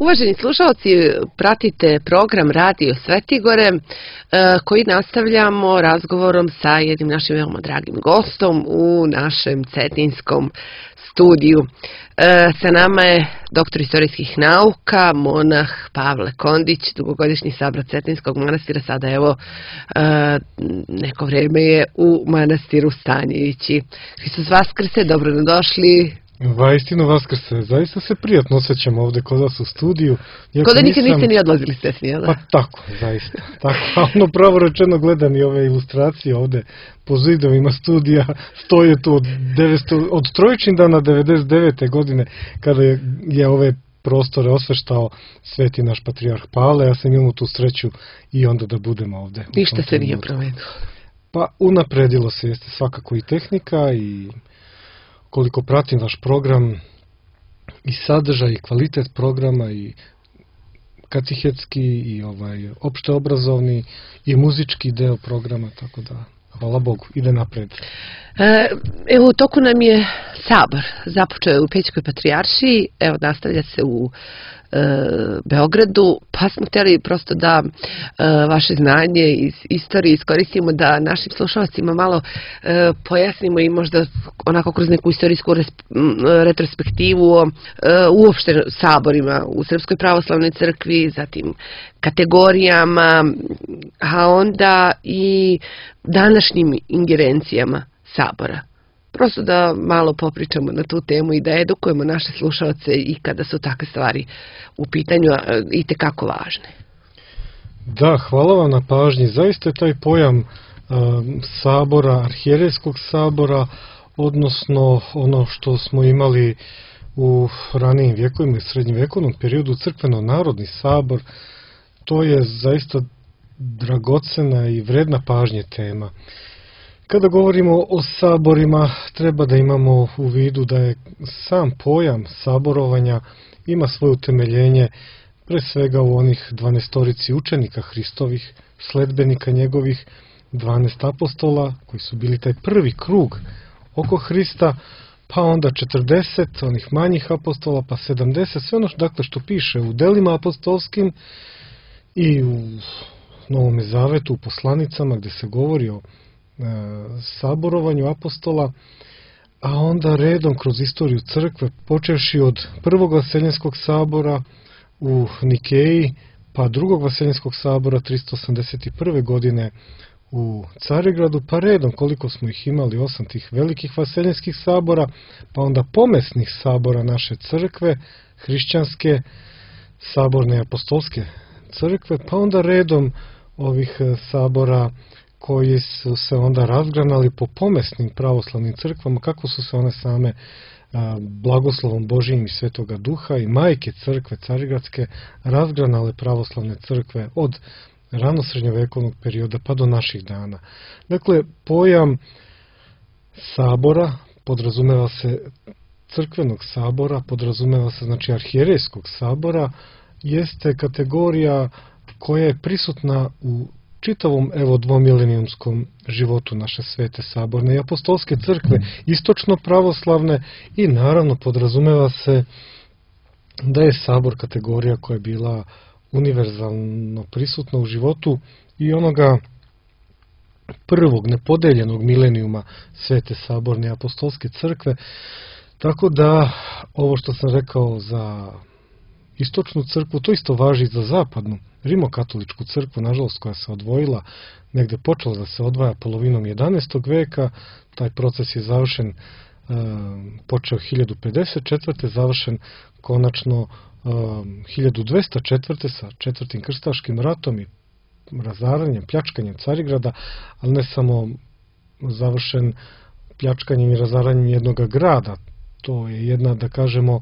Uvaženi slušalci, pratite program Radio Svetigore koji nastavljamo razgovorom sa jednim našim veoma dragim gostom u našem cetinskom studiju. Sa nama je doktor istorijskih nauka, monah Pavle Kondić, dugogodišnji sabrat Cetinskog manastira, sada evo neko vrijeme je u manastiru Stanjevići. Hristos Vaskrse, dobrodošli. Vaistinu Vaskrse, zaista se prijatno osjećam ovdje kod vas u studiju. Kod da nikad niste ni odlazili s Tesni, jel da? Pa tako, zaista. Tako, ono pravo rečeno gledam i ove ilustracije ovdje po zidovima studija, stoje tu od Trojčindana 99. godine kada je ove prostore osveštao sveti naš patrijarh Pavle. Ja sam imao tu sreću i onda da budemo ovdje. Ništa se nije promenilo. Pa unapredilo se, jeste svakako i tehnika i koliko pratim vaš program i sadržaj i kvalitet programa i katehetski i opšteobrazovni i muzički deo programa, tako da hvala Bogu, ide napred. Evo, u toku nam je sabor, započeo je u Pećkoj patrijaršiji, evo nastavlja se u Beogradu, pa smo htjeli prosto da vaše znanje iz istorije iskoristimo da našim slušalcima malo pojasnimo i možda onako kroz neku istorijsku retrospektivu o uopšte saborima u Srpskoj pravoslavnoj crkvi, zatim kategorijama, a onda i današnjim ingerencijama sabora. Prosto da malo popričamo na tu temu i da edukujemo naše slušalce i kada su takve stvari u pitanju itekako važne. Da, hvala vam na pažnji. Zaista je taj pojam sabora, arhijerejskog sabora, odnosno ono što smo imali u ranijim vjekovima i srednjovjekovnom periodu, crkveno-narodni sabor, to je zaista dragocena i vredna pažnje tema. Kada govorimo o saborima, treba da imamo u vidu da je sam pojam saborovanja ima svoje utemeljenje pre svega u onih 12 učenika Hristovih, sledbenika njegovih, 12 apostola koji su bili taj prvi krug oko Hrista, pa onda 40 onih manjih apostola, pa 70, sve ono što piše u delima apostolskim i u Novom Zavetu, u poslanicama gdje se govori o saborovanju apostola, a onda redom kroz istoriju crkve, počevši od prvog vaseljenskog sabora u Nikeji, pa drugog vaseljenskog sabora 381. godine u Carigradu, pa redom koliko smo ih imali, 8 tih velikih vaseljenskih sabora, pa onda pomesnih sabora naše crkve, hrišćanske, saborne apostolske crkve, pa onda redom ovih sabora koji su se onda razgranali po pomesnim pravoslavnim crkvama, kako su se one same blagoslovom Božijim i Svetoga Duha i majke crkve carigradske razgranale pravoslavne crkve od ranosrednjovekovnog perioda pa do naših dana. Dakle, pojam sabora podrazumeva se crkvenog sabora, podrazumeva se znači arhijerejskog sabora, jeste kategorija koja je prisutna u čitavom dvomilenijumskom životu naše svete saborne i apostolske crkve, istočno pravoslavne, i naravno podrazumeva se da je sabor kategorija koja je bila univerzalno prisutna u životu i onoga prvog nepodeljenog milenijuma svete saborne i apostolske crkve. Tako da ovo što sam rekao za istočnu crkvu, to isto važi i za zapadnu rimokatoličku crkvu, nažalost, koja se odvojila, negde počela da se odvaja polovinom 11. veka. Taj proces je završen, počeo 1054. završen konačno 1204. sa četvrtim krstaškim ratom i razaranjem, pljačkanjem Carigrada, ali ne samo završen pljačkanjem i razaranjem jednog grada. To je jedna, da kažemo,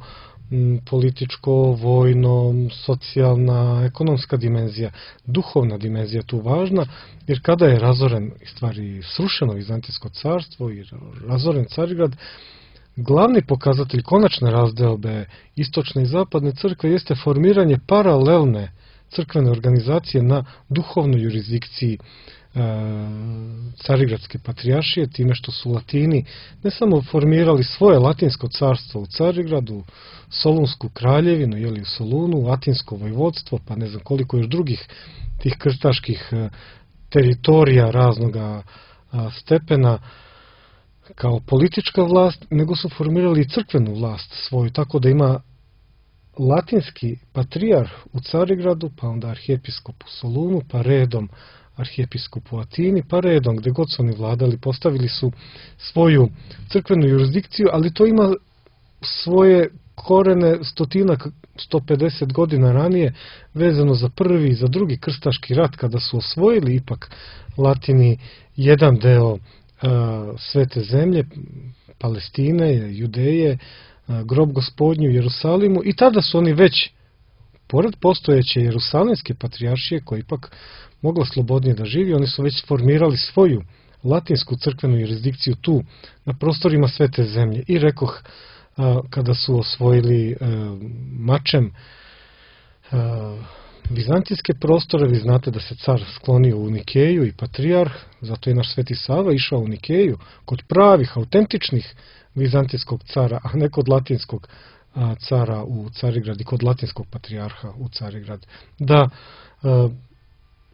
političko, vojno, socijalna, ekonomska dimenzija, duhovna dimenzija tu važna, jer kada je razoren, stvari srušeno Vizantijsko carstvo i razoren Carigrad, glavni pokazatelj konačne razdeobe istočne i zapadne crkve jeste formiranje paralelne crkvene organizacije na duhovnoj jurisdikciji Carigradske patrijaršije, time što su Latini ne samo formirali svoje latinsko carstvo u Carigradu, Solunsku kraljevinu, jeli u Solunu, Atinsko vojvodstvo, pa ne znam koliko još drugih tih krstaških teritorija raznoga stepena kao politička vlast, nego su formirali i crkvenu vlast svoju, tako da ima latinski patrijarh u Carigradu, pa onda arhijepiskop u Solunu, pa redom arhijepiskop u Atini, pa redom gde god su oni vladali, postavili su svoju crkvenu jurisdikciju, ali to ima svoje korene 150 godina ranije, vezano za prvi i za drugi krstaški rat, kada su osvojili ipak Latini jedan deo svete zemlje, Palestine, Judeje, grob Gospodnju u Jerusalimu, i tada su oni već, pored postojeće Jerusalimske patrijaršije, koja ipak mogla slobodnije da živi, oni su već formirali svoju latinsku crkvenu jurisdikciju tu, na prostorima svete zemlje. I rekoh, kada su osvojili mačem vizantijske prostore, vi znate da se car sklonio u Nikeju i patrijarh, zato je naš Sveti Sava išao u Nikeju, kod pravih, autentičnih vizantijskog cara, a ne kod latinskog cara u Carigrad i kod latinskog patrijarha u Carigrad, da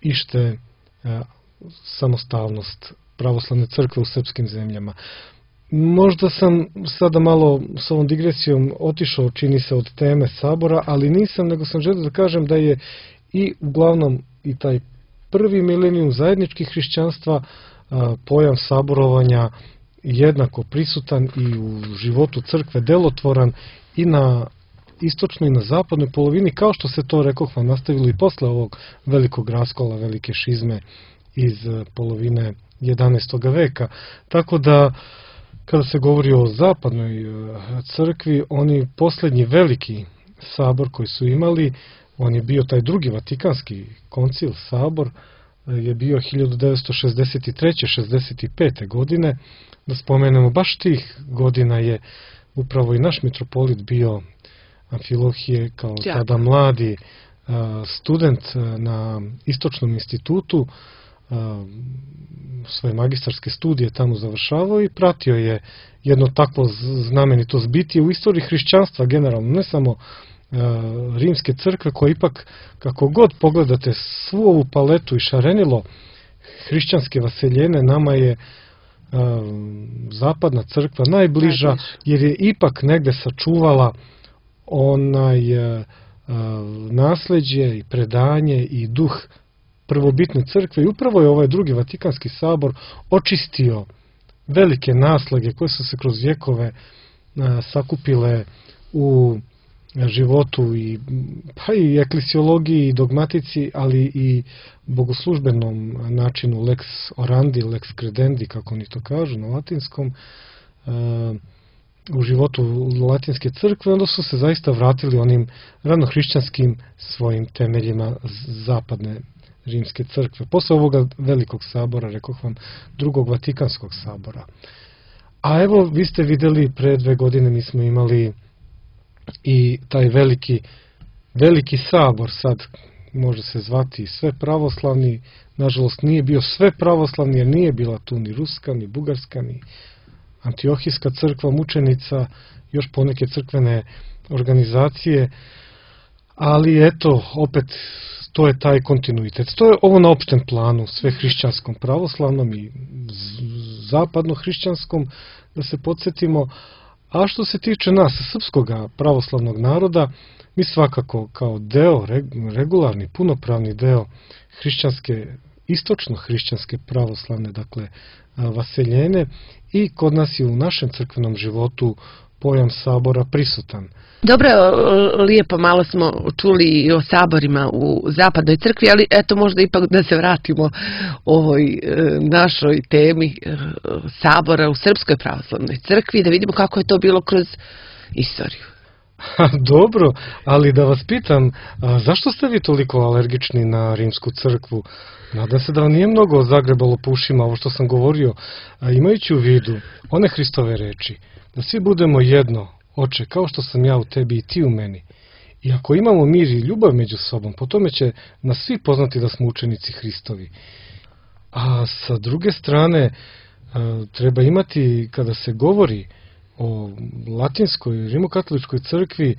ište samostalnost pravoslavne crkve u srpskim zemljama. Možda sam sada malo s ovom digresijom otišao, čini se, od teme sabora, ali nisam, nego sam želio da kažem da je i uglavnom i taj prvi milenijum zajedničkih hrišćanstva, pojam saborovanja jednako prisutan i u životu crkve, delotvoran i na istočnoj i na zapadnoj polovini, kao što se to, rekoh vam, nastavilo i posle ovog velikog raskola, velike šizme iz polovine 11. veka. Tako da, kada se govori o zapadnoj crkvi, oni poslednji veliki sabor koji su imali, on je bio taj drugi Vatikanski koncil, sabor, je bio 1963. 65. godine. Da spomenemo, baš tih godina je upravo i naš mitropolit bio Amfilohije, kao tada mladi student na Istočnom institutu, svoje magistarske studije tamo završavao i pratio je jedno takvo znamenito zbitije u istoriji hrišćanstva generalno, ne samo rimske crkve, koja ipak, kako god pogledate svu ovu paletu i šarenilo hrišćanske vaseljene, nama je zapadna crkva najbliža, jer je ipak negde sačuvala onaj nasleđe i predanje i duh prvobitne crkve, i upravo je ovaj drugi Vatikanski sabor očistio velike naslage koje su se kroz vjekove sakupile u životu i, pa i eklesiologiji i dogmatici, ali i bogoslužbenom načinu lex orandi, lex credendi, kako oni to kažu na latinskom, u životu latinske crkve. Onda su se zaista vratili onim ranohrišćanskim svojim temeljima zapadne rimske crkve. Posle ovoga velikog sabora, rekoh vam, drugog Vatikanskog sabora. A evo, vi ste videli, pre 2 godine mi smo imali i taj veliki sabor, sad može se zvati sve pravoslavni, nažalost nije bio sve pravoslavni, jer nije bila tu ni ruska, ni bugarska, ni Antiohijska crkva mučenica, još poneke crkvene organizacije, ali eto, opet, to je taj kontinuitet. To je ovo na opštem planu, sve hrišćanskom pravoslavnom i zapadno hrišćanskom, da se podsjetimo. A što se tiče nas, srpskog pravoslavnog naroda, mi svakako kao deo, regularni, punopravni deo hrišćanske, istočno-hrišćanske pravoslavne, dakle, vaseljene, i kod nas je u našem crkvenom životu pojam sabora prisutan. Dobro, lijepo malo smo čuli i o saborima u zapadnoj crkvi, ali eto možda ipak da se vratimo ovoj našoj temi sabora u Srpskoj pravoslavnoj crkvi, da vidimo kako je to bilo kroz istoriju. Dobro, ali da vas pitam, zašto ste vi toliko alergični na rimsku crkvu? Nadam se da vam nije mnogo zagrebalo po ušima ovo što sam govorio, imajući u vidu one Hristove reči, da svi budemo jedno, Oče, kao što sam ja u tebi i ti u meni. I ako imamo mir i ljubav među sobom, po tome će nas svi poznati da smo učenici Hristovi. A sa druge strane, treba imati, kada se govori o latinskoj rimokatoličkoj crkvi,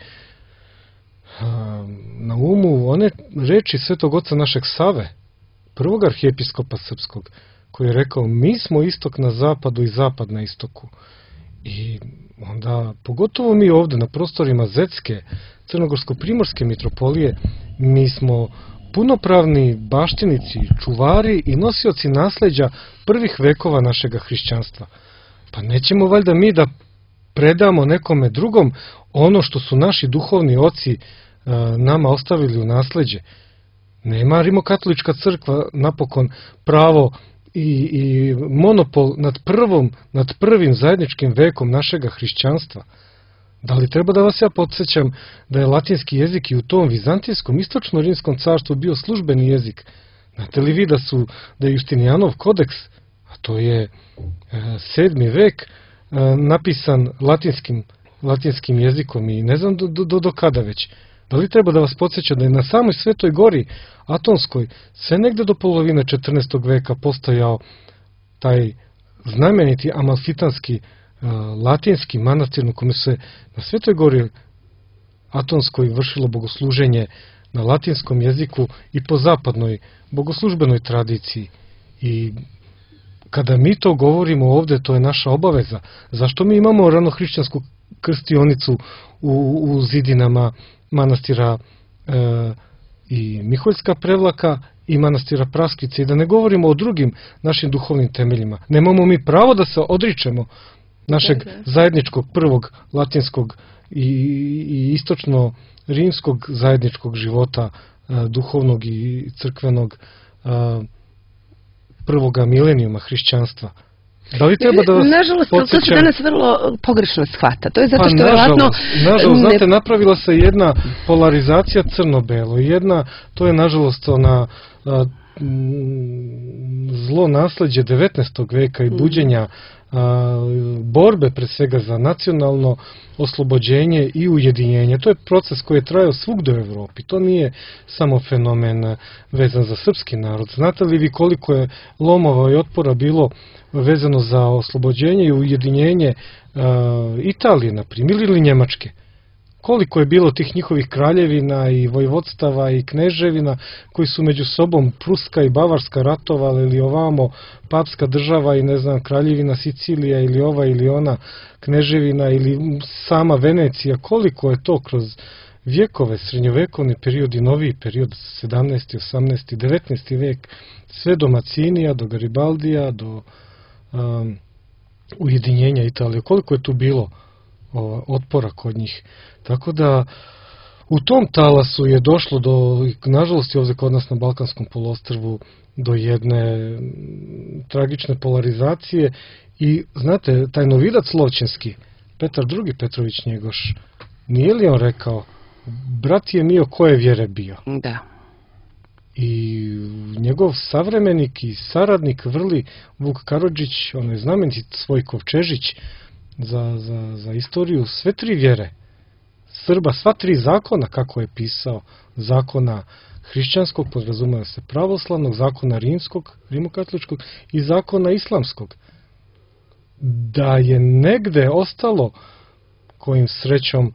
na umu one reči Svetog oca našeg Save, prvog arhijepiskopa srpskog, koji je rekao: mi smo istok na zapadu i zapad na istoku. I onda, pogotovo mi ovde na prostorima Zetske, Crnogorsko-primorske mitropolije, mi smo punopravni baštinici, čuvari i nosioci nasleđa prvih vekova našega hrišćanstva. Pa nećemo valjda mi da predamo nekome drugom ono što su naši duhovni oci nama ostavili u nasleđe. Nema rimokatolička crkva napokon pravo i monopol nad prvim zajedničkim vekom našega hrišćanstva. Da li treba da vas ja podsjećam da je latinski jezik i u tom vizantijskom istočno-rimskom carstvu bio službeni jezik? Znate li vi da je Justinijanov kodeks, a to je 7. vek, napisan latinskim jezikom i ne znam do kada već. Da li treba da vas podsjeća da je na samoj Svetoj gori Atonskoj sve negde do polovine 14. veka postojao taj znameniti amalfitanski latinski manastir u kome se na Svetoj gori Atonskoj vršilo bogosluženje na latinskom jeziku i po zapadnoj bogoslužbenoj tradiciji. I kada mi to govorimo ovde, to je naša obaveza. Zašto mi imamo ranohrišćansku krstionicu u zidinama manastira i Miholjska Prevlaka i manastira Praskice, i da ne govorimo o drugim našim duhovnim temeljima? Nemamo mi pravo da se odričemo našeg zajedničkog prvog latinskog i istočno-rimskog zajedničkog života, duhovnog i crkvenog prvoga milenijuma hrišćanstva. Da li treba da vas nažalost, podsjećam? to se danas vrlo pogrešno shvata. To je zato što nažalost, znate, napravila se jedna polarizacija crno-belo. To je nažalost zlo nasleđe 19. veka i buđenja borbe pre svega za nacionalno oslobođenje i ujedinjenje. To je proces koji je trajao svugde u Evropi. To nije samo fenomen vezan za srpski narod. Znate li vi koliko je lomova i otpora bilo vezano za oslobođenje i ujedinjenje Italije, na primjer, ili Njemačke? Koliko je bilo tih njihovih kraljevina i vojvodstava i kneževina koji su među sobom, Pruska i Bavarska, ratovali, ili ovamo papska država i ne znam, kraljevina Sicilija ili ova ili ona kneževina ili sama Venecija? Koliko je to kroz vjekove, srednjovekovni period i noviji period, 17. 18. 19. vek, sve do Macinija, do Garibaldija, do ujedinjenja Italije, koliko je tu bilo otpora kod njih. Tako da u tom talasu je došlo do, nažalost i ovdje kod nas na Balkanskom poluostrvu, do jedne tragične polarizacije. I znate, taj novidac lovćenski, Petar II. Petrović Njegoš, nije li on rekao: brat je mio koje vjere bio? Da. I njegov savremenik i saradnik vrli Vuk Karadžić, onaj znameniti svoj Kovčežić, za istoriju sve tri vjere Srba, sva tri zakona, kako je pisao: zakona hrišćanskog, podrazumeva se pravoslavnog, zakona rimskog, rimokatoličkog i zakona islamskog. Da je negde ostalo, kojim srećom,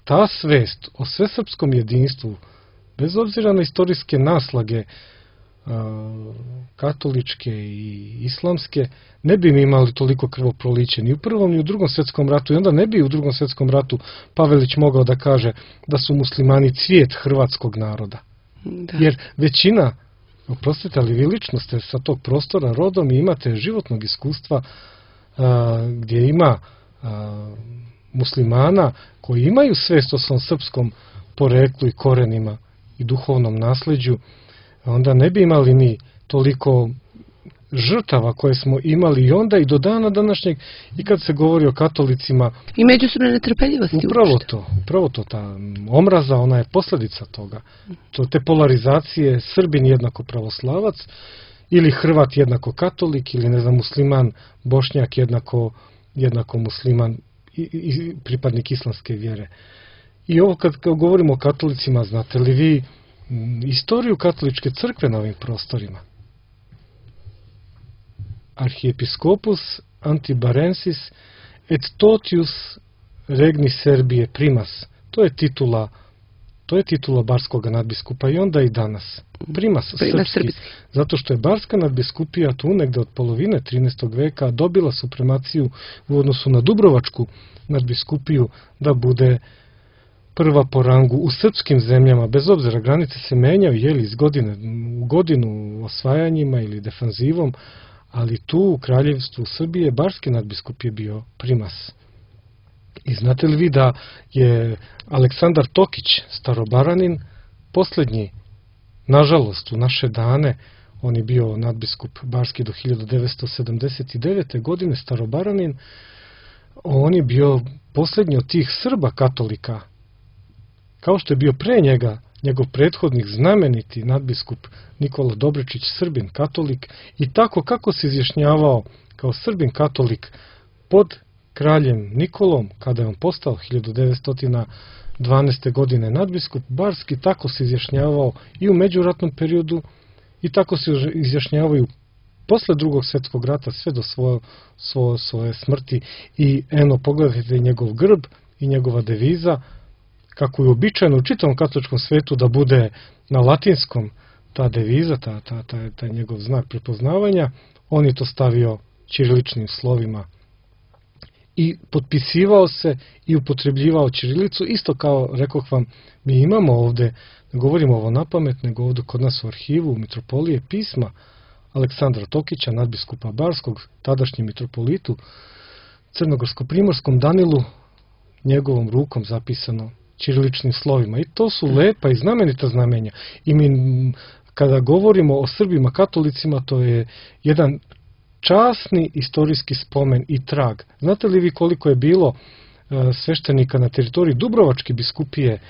ta svest o svesrpskom jedinstvu, bez obzira na istorijske naslage katoličke i islamske, ne bi mi imali toliko krvoproliće ni u Prvom ni u Drugom svjetskom ratu, i onda ne bi u Drugom svjetskom ratu Pavelić mogao da kaže da su muslimani cvijet hrvatskog naroda. Da. Jer većina, oprostite, ali vi lično ste sa tog prostora rodom i imate životnog iskustva gdje ima muslimana koji imaju svest o svom srpskom poreklu i korenima i duhovnom nasleđu, onda ne bi imali mi toliko žrtava koje smo imali i onda i do dana današnjeg, i kad se govori o katolicima. I međusobne netrpeljivosti. Upravo to, ta omraza, ona je posljedica toga. Te polarizacije, Srbin jednako pravoslavac, ili Hrvat jednako katolik, ili ne znam, musliman, Bošnjak jednako musliman i pripadnik islamske vjere. I ovo kad govorimo o katolicima, znate li vi istoriju katoličke crkve na ovim prostorima. Arhiepiskopus Antibarensis et totius regni Serbije primas. To je titula barskog nadbiskupa i onda i danas. Primas srpski. Zato što je barska nadbiskupija tu negde od polovine 13. veka dobila supremaciju u odnosu na dubrovačku nadbiskupiju da bude prva po rangu u srpskim zemljama, bez obzira granice se menjaju iz godine u godinu osvajanjima ili defanzivom, ali tu u kraljevstvu Srbije barski nadbiskup je bio primas. I znate li vi da je Aleksandar Tokić, Starobaranin, posljednji, nažalost, u naše dane, on je bio nadbiskup barski do 1979. godine, Starobaranin, on je bio posljednji od tih Srba katolika, kao što je bio pre njega njegov prethodnik znameniti nadbiskup Nikola Dobričić, Srbin katolik, i tako kako se izjašnjavao kao Srbin katolik pod kraljem Nikolom, kada je on postao 1912. godine nadbiskup barski, tako se izjašnjavao i u međuratnom periodu i tako se izjašnjavaju posle Drugog svjetskog rata sve do svoje smrti. I eno, pogledajte njegov grb i njegova deviza, kako je običajno u čitavom katoličkom svetu da bude na latinskom ta deviza, taj njegov znak prepoznavanja, on je to stavio ćiriličnim slovima i potpisivao se i upotrebljivao ćirilicu, isto kao, rekoh vam, mi imamo ovde, ne govorimo ovo na pamet, nego ovde kod nas u arhivu, u mitropolije, pisma Aleksandra Tokića, nadbiskupa barskog, tadašnjem mitropolitu, crnogorsko-primorskom Danilu, njegovom rukom zapisano ćiriličnim slovima. I to su lepa i znamenita znamenja. I mi, kada govorimo o Srbima katolicima, to je jedan časni istorijski spomen i trag. Znate li vi koliko je bilo sveštenika na teritoriji Dubrovačke biskupije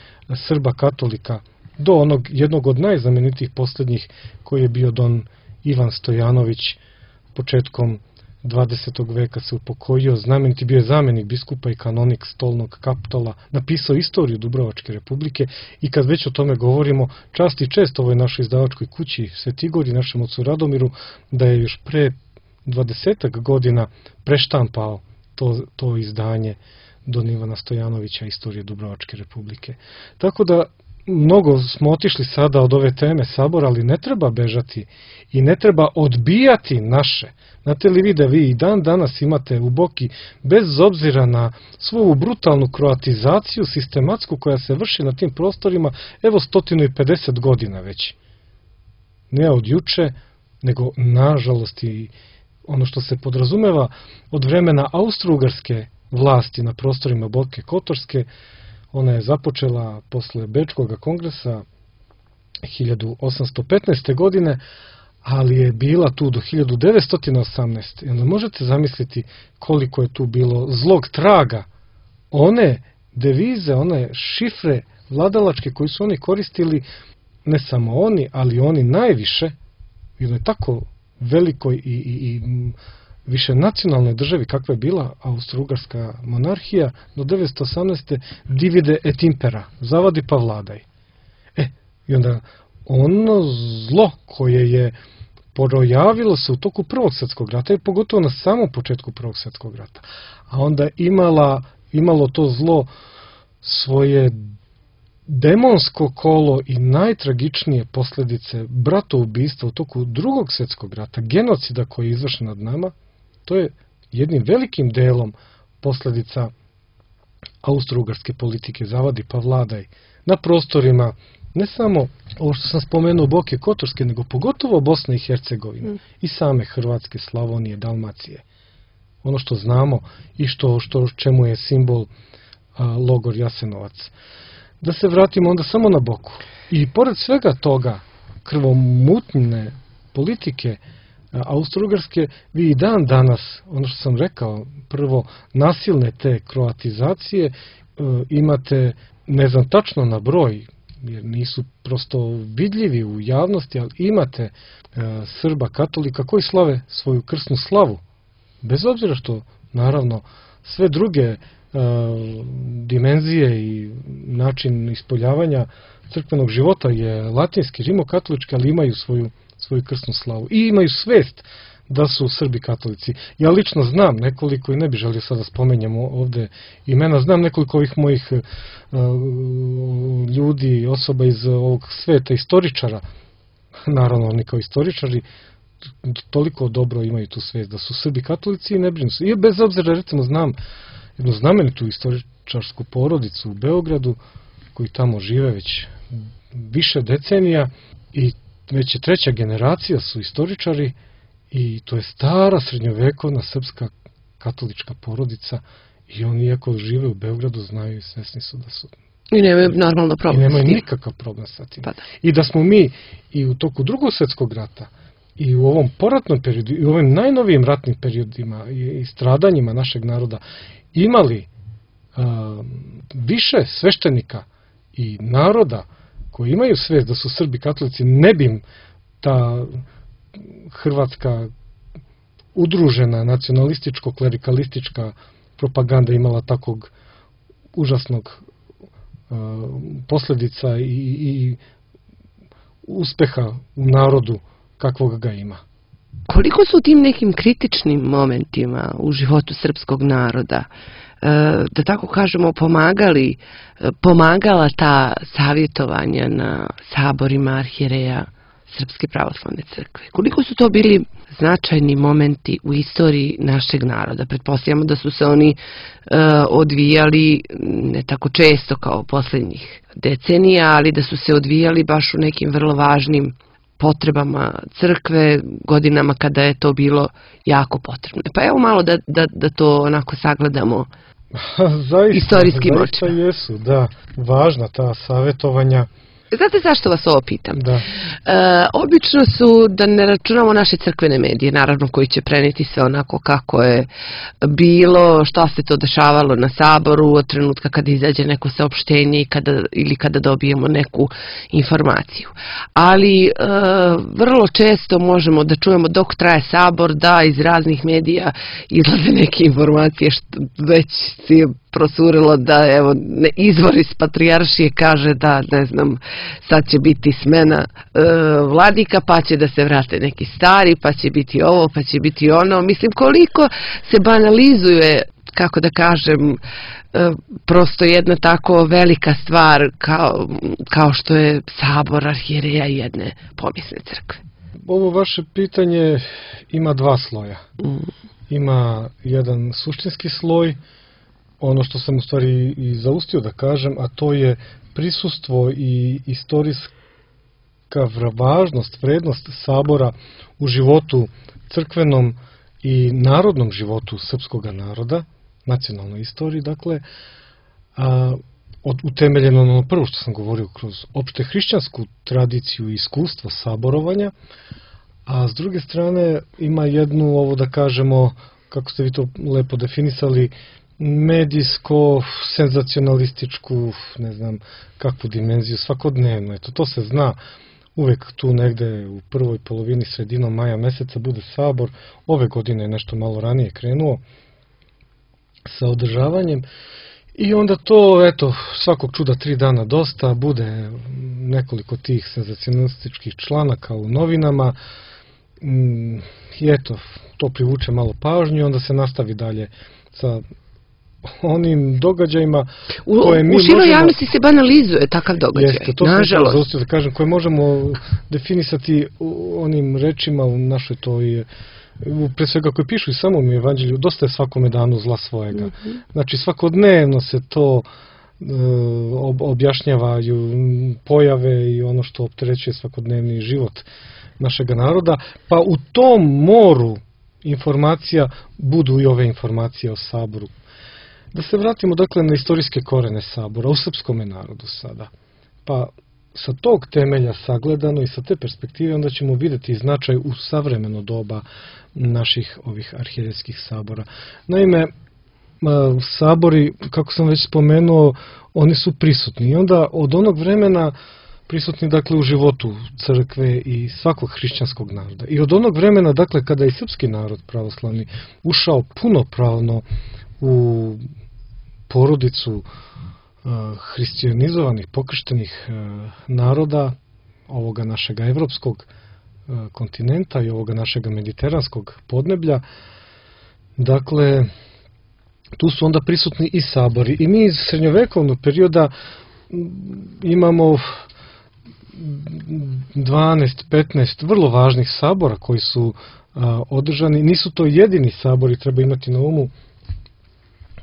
Srba katolika do onog jednog od najznamenitijih posljednjih koji je bio don Ivan Stojanović, početkom 20. veka se upokojio, znameniti, bio je zamenik biskupa i kanonik Stolnog Kaptola, napisao istoriju Dubrovačke republike. I kad već o tome govorimo, čast i čest ovoj našoj izdavačkoj kući Svetigori, našem ocu Radomiru, da je još pre 20 godina preštampao to izdanje don Ivana Stojanovića, istorije Dubrovačke republike. Tako da mnogo smo otišli sada od ove teme sabora, ali ne treba bežati i ne treba odbijati naše. Znate li vi da vi i dan danas imate u Boki, bez obzira na svoju brutalnu kroatizaciju sistematsku koja se vrši na tim prostorima, evo 150 godina već. Ne od juče, nego nažalost i ono što se podrazumeva od vremena austrougarske vlasti na prostorima Boke Kotorske. Ona je započela posle Bečkog kongresa 1815. godine, ali je bila tu do 1918. I onda možete zamisliti koliko je tu bilo zlog traga. One devize, one šifre vladalačke koji su oni koristili, ne samo oni, ali oni najviše, u jednoj tako velikoj i više nacionalnoj državi kakva je bila Austro-Ugarska monarhija do 1918. divide et impera, zavadi pa vladaj. I onda ono zlo koje je projavilo se u toku Prvog svjetskog rata i pogotovo na samom početku Prvog svjetskog rata, a onda imalo to zlo svoje demonsko kolo i najtragičnije posljedice bratoubistva u toku Drugog svjetskog rata, genocida koji je izvršen nad nama. To je jednim velikim delom posljedica austro-ugarske politike zavadi pa vladaj na prostorima ne samo ovo što sam spomenuo Boke Kotorske, nego pogotovo Bosne i Hercegovine i same Hrvatske, Slavonije, Dalmacije. Ono što znamo i čemu je simbol logor Jasenovac. Da se vratimo onda samo na Boku. I pored svega toga krvomutne politike Austro-Ugarske, vi i dan danas, ono što sam rekao, prvo nasilne te kroatizacije, imate, ne znam tačno na broj, jer nisu prosto vidljivi u javnosti, ali imate Srba katolika koji slave svoju krsnu slavu. Bez obzira što, naravno, sve druge dimenzije i način ispoljavanja crkvenog života je latinski, rimokatolički, ali imaju svoju krsnu slavu i imaju svest da su Srbi katolici. Ja lično znam nekoliko, i ne bih želio sada spomenjamo ovde imena, znam nekoliko ovih mojih ljudi, osoba iz ovog sveta, istoričara, naravno oni kao istoričari, toliko dobro imaju tu svest da su Srbi katolici i ne brinu se. I bez obzira, recimo, znam jednu znamenitu istoričarsku porodicu u Beogradu, koji tamo žive već više decenija i već je treća generacija su istoričari i to je stara srednjovekovna srpska katolička porodica i oni iako žive u Beogradu znaju i svesni su da su i nemaju normalno problem. I nemaju nikakav problem sa tim. Pa da. I da smo mi i u toku Drugog svjetskog rata i u ovom poratnom periodu i u ovim najnovijim ratnim periodima i stradanjima našeg naroda imali više sveštenika i naroda koji imaju svest da su Srbi katolici, ne bi im ta hrvatska udružena nacionalističko-klerikalistička propaganda imala takvog užasnog posljedica i uspeha u narodu kakvog ga ima. Koliko su u tim nekim kritičnim momentima u životu srpskog naroda, da tako kažemo, pomagala ta savjetovanja na saborima arhijereja Srpske pravoslavne crkve? Koliko su to bili značajni momenti u istoriji našeg naroda? Pretpostavljamo da su se oni odvijali ne tako često kao posljednjih decenija, ali da su se odvijali baš u nekim vrlo važnim potrebama crkve, godinama kada je to bilo jako potrebno. Pa evo malo da to onako sagledamo istorijskim očima. Zaista jesu, da, važna ta savjetovanja. Znate zašto vas ovo pitam? Da. Obično su, da ne računamo naše crkvene medije, naravno koji će prenijeti sve onako kako je bilo, šta se to dešavalo na saboru od trenutka kada izađe neko saopštenje ili kada dobijemo neku informaciju. Ali vrlo često možemo da čujemo dok traje sabor da iz raznih medija izlaze neke informacije što već si prosurilo da evo izvor iz patrijaršije kaže da ne znam sad će biti smena vladika pa će da se vrate neki stari pa će biti ovo pa će biti ono. Mislim koliko se banalizuje, kako da kažem, prosto jedna tako velika stvar kao što je sabor arhijereja jedne povijesne crkve. Ovo vaše pitanje ima dva sloja. Ima jedan suštinski sloj, ono što sam u stvari i zaustio da kažem, a to je prisustvo i istorijska važnost, vrednost sabora u životu crkvenom i narodnom životu srpskog naroda, nacionalnoj istoriji, dakle, utemeljeno na ono prvo što sam govorio kroz opšte hrišćansku tradiciju i iskustvo saborovanja, a s druge strane ima jednu, ovo da kažemo, kako ste vi to lepo definisali, medijsko, senzacionalističku, ne znam kakvu dimenziju, svakodnevno. Eto, to se zna, uvek tu negde u prvoj polovini, sredinom maja meseca bude sabor. Ove godine je nešto malo ranije krenuo sa održavanjem i onda to, eto, svakog čuda 3 dana dosta, bude nekoliko tih senzacionalističkih članaka u novinama i eto, to privuče malo pažnju i onda se nastavi dalje sa onim događajima koje mi možemo... U široj javnosti se banalizuje takav događaj, jeste, to nažalost. Da kažem, koje možemo definisati onim rečima u našoj toj, pre svega koje pišu i samom evanđelju, dosta je svakome danu zla svojega. Znači svakodnevno se to objašnjavaju pojave i ono što opterećuje svakodnevni život našeg naroda, pa u tom moru informacija budu i ove informacije o saboru. Da se vratimo dakle na istorijske korene sabora u srpskom narodu sada. Pa sa tog temelja sagledano i sa te perspektive onda ćemo vidjeti značaj u savremeno doba naših ovih arhijerejskih sabora. Naime, sabori, kako sam već spomenuo, oni su prisutni i onda od onog vremena prisutni dakle u životu crkve i svakog hrišćanskog naroda. I od onog vremena dakle kada je srpski narod pravoslavni ušao punopravno u porodicu hristijanizovanih, pokrštenih naroda ovoga našega evropskog kontinenta i ovoga našega mediteranskog podneblja. Dakle, tu su onda prisutni i sabori. I mi iz srednjovekovnog perioda imamo 12-15 vrlo važnih sabora koji su održani. Nisu to jedini sabori, treba imati na umu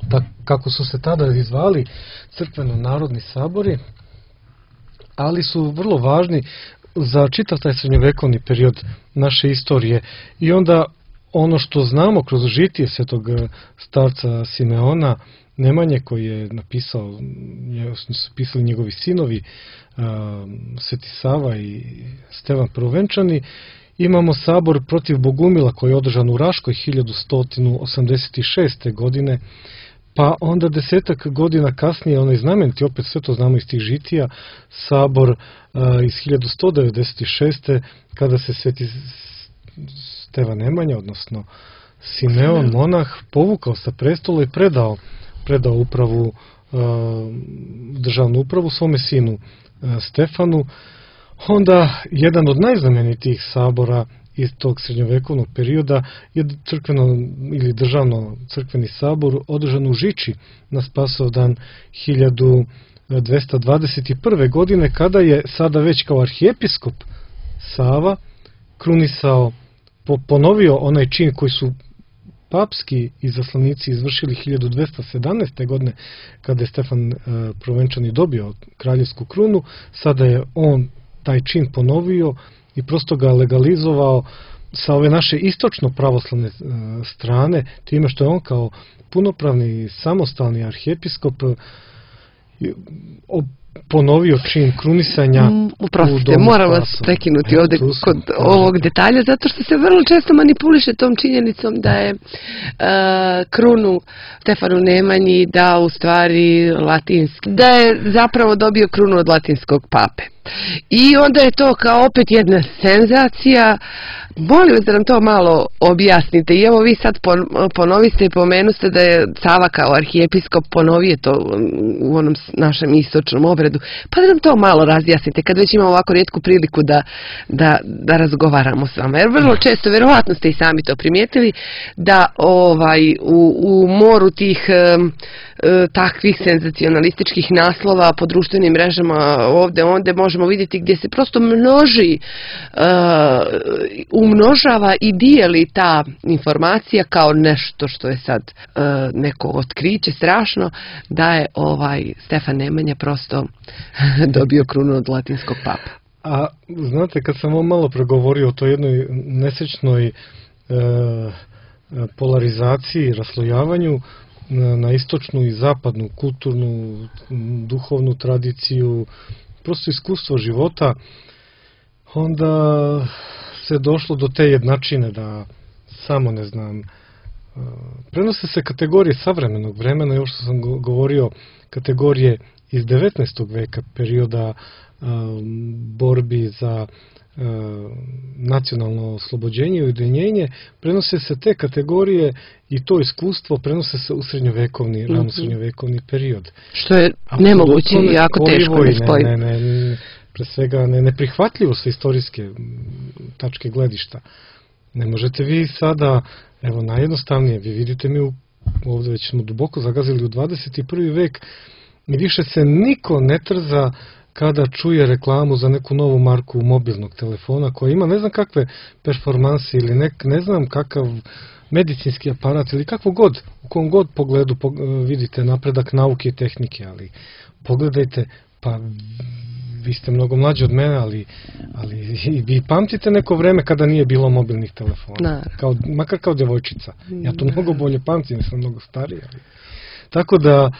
da kako su se tada zvali crkveno-narodni sabori, ali su vrlo važni za čitav taj srednjovekovni period naše istorije. I onda ono što znamo kroz žitije svetog starca Simeona Nemanje, koji je napisao, su pisali njegovi sinovi, Sveti Sava i Stevan Prvovenčani, imamo sabor protiv Bogumila koji je održan u Raškoj 1186. godine, pa onda 10 godina kasnije, onaj znameniti, opet sve to znamo iz tih žitija, sabor iz 1196. kada se Sveti Stevan Nemanja, odnosno Simeon, monah, povukao sa prestola i predao upravu, državnu upravu svome sinu Stefanu. Onda jedan od najznamenitijih sabora iz tog srednjovekovnog perioda je crkveno ili državno crkveni sabor održan u Žiči na Spasovdan 1221. godine, kada je sada već kao arhijepiskop Sava krunisao, ponovio onaj čin koji su papski izaslanici izvršili 1217. godine, kada je Stefan Prvovenčani dobio kraljevsku krunu. Sada je on taj čin ponovio i prosto ga legalizovao sa ove naše istočno pravoslavne strane, time što je on kao punopravni samostalni arhijepiskop ponovio čin krunisanja. Uprostite, moram vas prekinuti ovdje kod ovog detalja, zato što se vrlo često manipuliše tom činjenicom da je krunu Stefanu Nemanji dao u stvari latinski, da je zapravo dobio krunu od latinskog pape. I onda je to kao opet jedna senzacija. Molim vas da nam to malo objasnite. I evo vi sad ponoviste i pomenuste da je Sava kao arhijepiskop ponovio to u onom našem istočnom obredu. Pa da nam to malo razjasnite kad već imamo ovako rijetku priliku da razgovaramo s vama. Jer vrlo često, vjerovatno ste i sami to primijetili, da u moru tih takvih senzacionalističkih naslova po društvenim mrežama ovdje onda možemo vidjeti gdje se prosto umnožava i dijeli ta informacija kao nešto što je sad neko otkriće strašno, da je Stefan Nemanja prosto dobio krunu od latinskog papa. A znate, kad sam vam malo pregovorio o toj jednoj nesrećnoj polarizaciji, raslojavanju na istočnu i zapadnu kulturnu, duhovnu tradiciju, prosto iskustvo života, onda se došlo do te jednačine da samo, ne znam, prenose se kategorije savremenog vremena i ovo što sam govorio, kategorije iz 19. veka, perioda borbi za nacionalno oslobođenje i ujedinjenje, prenose se te kategorije i to iskustvo prenose se u srednjovekovni, rano srednjovekovni period. Što je nemoguće i jako teško da spoji. Pre svega neprihvatljivo sa istorijske tačke gledišta. Ne možete vi sada, evo najjednostavnije, vi vidite mi ovdje već smo duboko zagazili u 21. vek i više se niko ne trza kada čuje reklamu za neku novu marku mobilnog telefona koja ima ne znam kakve performanse ili ne znam kakav medicinski aparat ili kakvo god, u kom god pogledu vidite napredak nauke i tehnike, ali pogledajte, pa vi ste mnogo mlađi od mene, ali vi pamtite neko vreme kada nije bilo mobilnih telefona, makar kao djevojčica. Ja to mnogo bolje pamtim, jer sam mnogo stariji. Tako da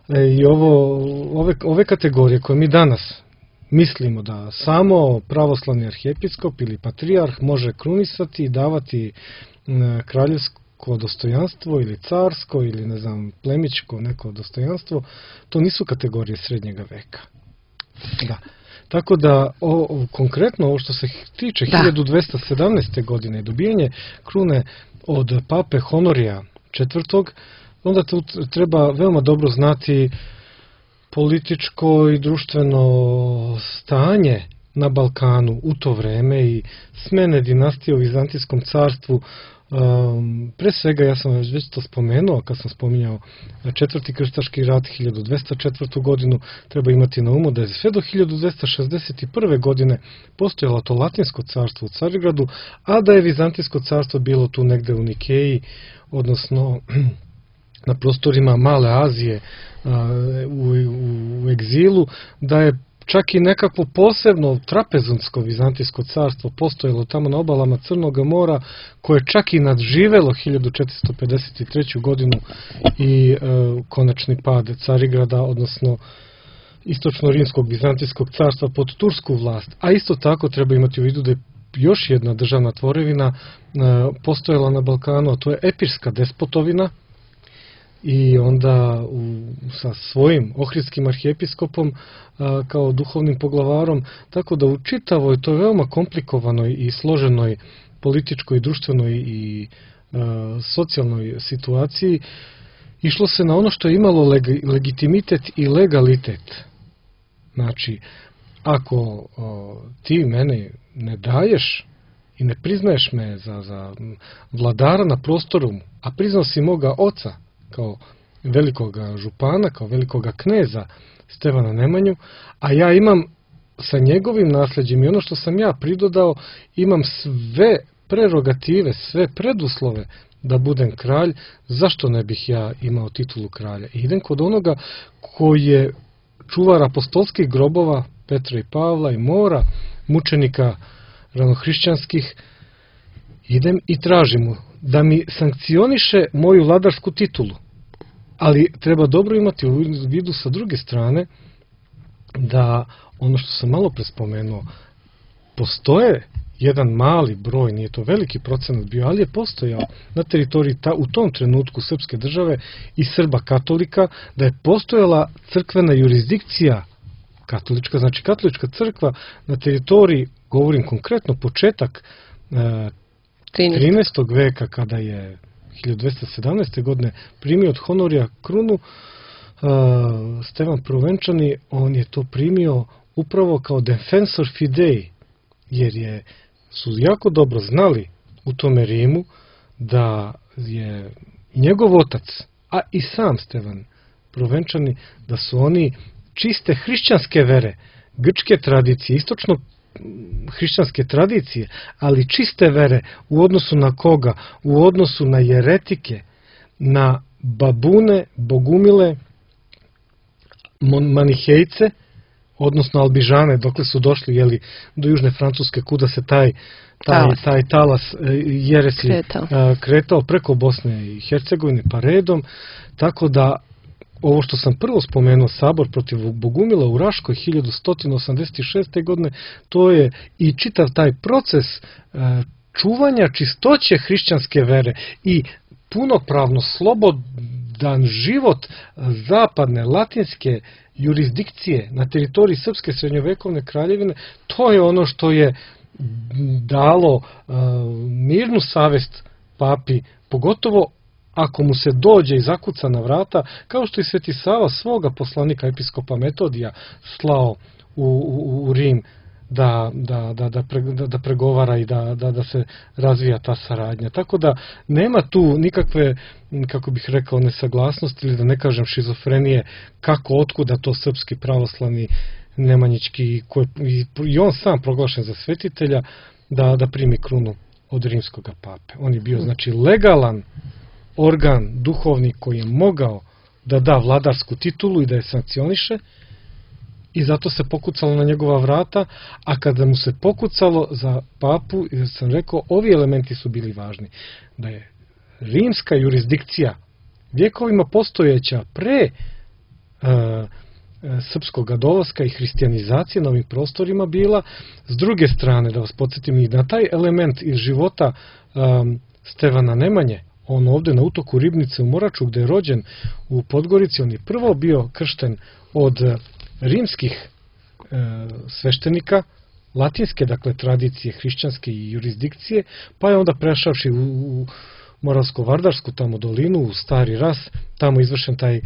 i ove kategorije koje mi danas mislimo da samo pravoslavni arhijepiskop ili patrijarh može krunisati i davati kraljevsko dostojanstvo ili carsko ili ne znam plemićko neko dostojanstvo, to nisu kategorije srednjega veka. Da. Tako da konkretno ovo što se tiče 1217. godine dobijanje krune od pape Honorija IV. onda tu treba veoma dobro znati političko i društveno stanje na Balkanu u to vreme i smene dinastije u Vizantijskom carstvu. Pre svega, ja sam već to spomenuo kad sam spominjao četvrti krstaški rat 1204. godinu, treba imati na umu da je sve do 1261. godine postojalo to Latinsko carstvo u Carigradu, a da je Vizantijsko carstvo bilo tu negde u Nikeji, odnosno na prostorima Male Azije u egzilu, da je čak i nekakvo posebno trapezunsko Vizantijsko carstvo postojalo tamo na obalama Crnog mora, koje je čak i nadživelo 1453. godinu i konačni pad Carigrada, odnosno istočno-rimskog Vizantijskog carstva pod tursku vlast. A isto tako treba imati u vidu da je još jedna državna tvorevina postojala na Balkanu, a to je Epirska despotovina, i onda sa svojim ohridskim arhijepiskopom kao duhovnim poglavarom, tako da u čitavoj toj veoma komplikovanoj i složenoj političkoj, društvenoj i socijalnoj situaciji išlo se na ono što je imalo legitimitet i legalitet. Znači, ako ti mene ne daješ i ne priznaješ me za vladara na prostoru, a priznao si moga oca kao velikoga župana, kao velikoga kneza Stevana Nemanju, a ja imam sa njegovim nasljeđem i ono što sam ja pridodao, imam sve prerogative, sve preduslove da budem kralj, zašto ne bih ja imao titulu kralja? I idem kod onoga koji je čuvar apostolskih grobova Petra i Pavla i mora mučenika ranohrišćanskih, idem i tražim mu da mi sankcioniše moju vladarsku titulu. Ali treba dobro imati u vidu sa druge strane da ono što sam malo pre spomenuo, postoje jedan mali broj, nije to veliki procenat bio, ali je postojao na teritoriji u tom trenutku srpske države i Srba katolika, da je postojala crkvena jurisdikcija katolička, znači katolička crkva na teritoriji, govorim konkretno početak 13. veka, kada je 1217. godine primio od Honorija krunu, Stevan Prvenčani, on je to primio upravo kao defensor fidei, jer su jako dobro znali u tome Rimu da je njegov otac, a i sam Stevan Prvenčani, da su oni čiste hrišćanske vere, grčke tradicije, istočno hrišćanske tradicije, ali čiste vere u odnosu na koga? U odnosu na jeretike, na babune, bogumile, manihejce, odnosno albižane, dokle su došli do južne Francuske, kuda se taj talas jeresi kretao preko Bosne i Hercegovine pa redom, tako da ovo što sam prvo spomenuo, sabor protiv Bogumila u Raškoj 1186. godine, to je i čitav taj proces čuvanja čistoće hrišćanske vere i punopravno slobodan život zapadne latinske jurisdikcije na teritoriji Srpske srednjovekovne kraljevine. To je ono što je dalo mirnu savest papi, pogotovo ako mu se dođe i zakuca na vrata, kao što i Sveti Sava svoga poslanika episkopa Metodija slao u Rim da pregovara i da se razvija ta saradnja. Tako da nema tu nikakve, kako bih rekao, nesaglasnosti ili da ne kažem šizofrenije, kako, otkuda to srpski pravoslavni Nemanjićki, i on sam proglašen za svetitelja, da primi krunu od rimskog pape. On je bio, znači, legalan organ duhovni koji je mogao da da vladarsku titulu i da je sankcioniše, i zato se pokucalo na njegova vrata, a kada mu se pokucalo za papu, sam rekao, ovi elementi su bili važni. Da je rimska jurisdikcija vjekovima postojeća pre srpskog dolaska i hrišćanizacije na ovim prostorima bila, s druge strane, da vas podsjetim i na taj element iz života Stevana Nemanje, on ovde na utoku Ribnice u Moraču, gde je rođen u Podgorici, on je prvo bio kršten od rimskih sveštenika, latinske, dakle, tradicije, hrišćanske i jurisdikcije, pa je onda prešavši Moravsko-Vardarsku tamo dolinu, u Stari Ras, tamo izvršen taj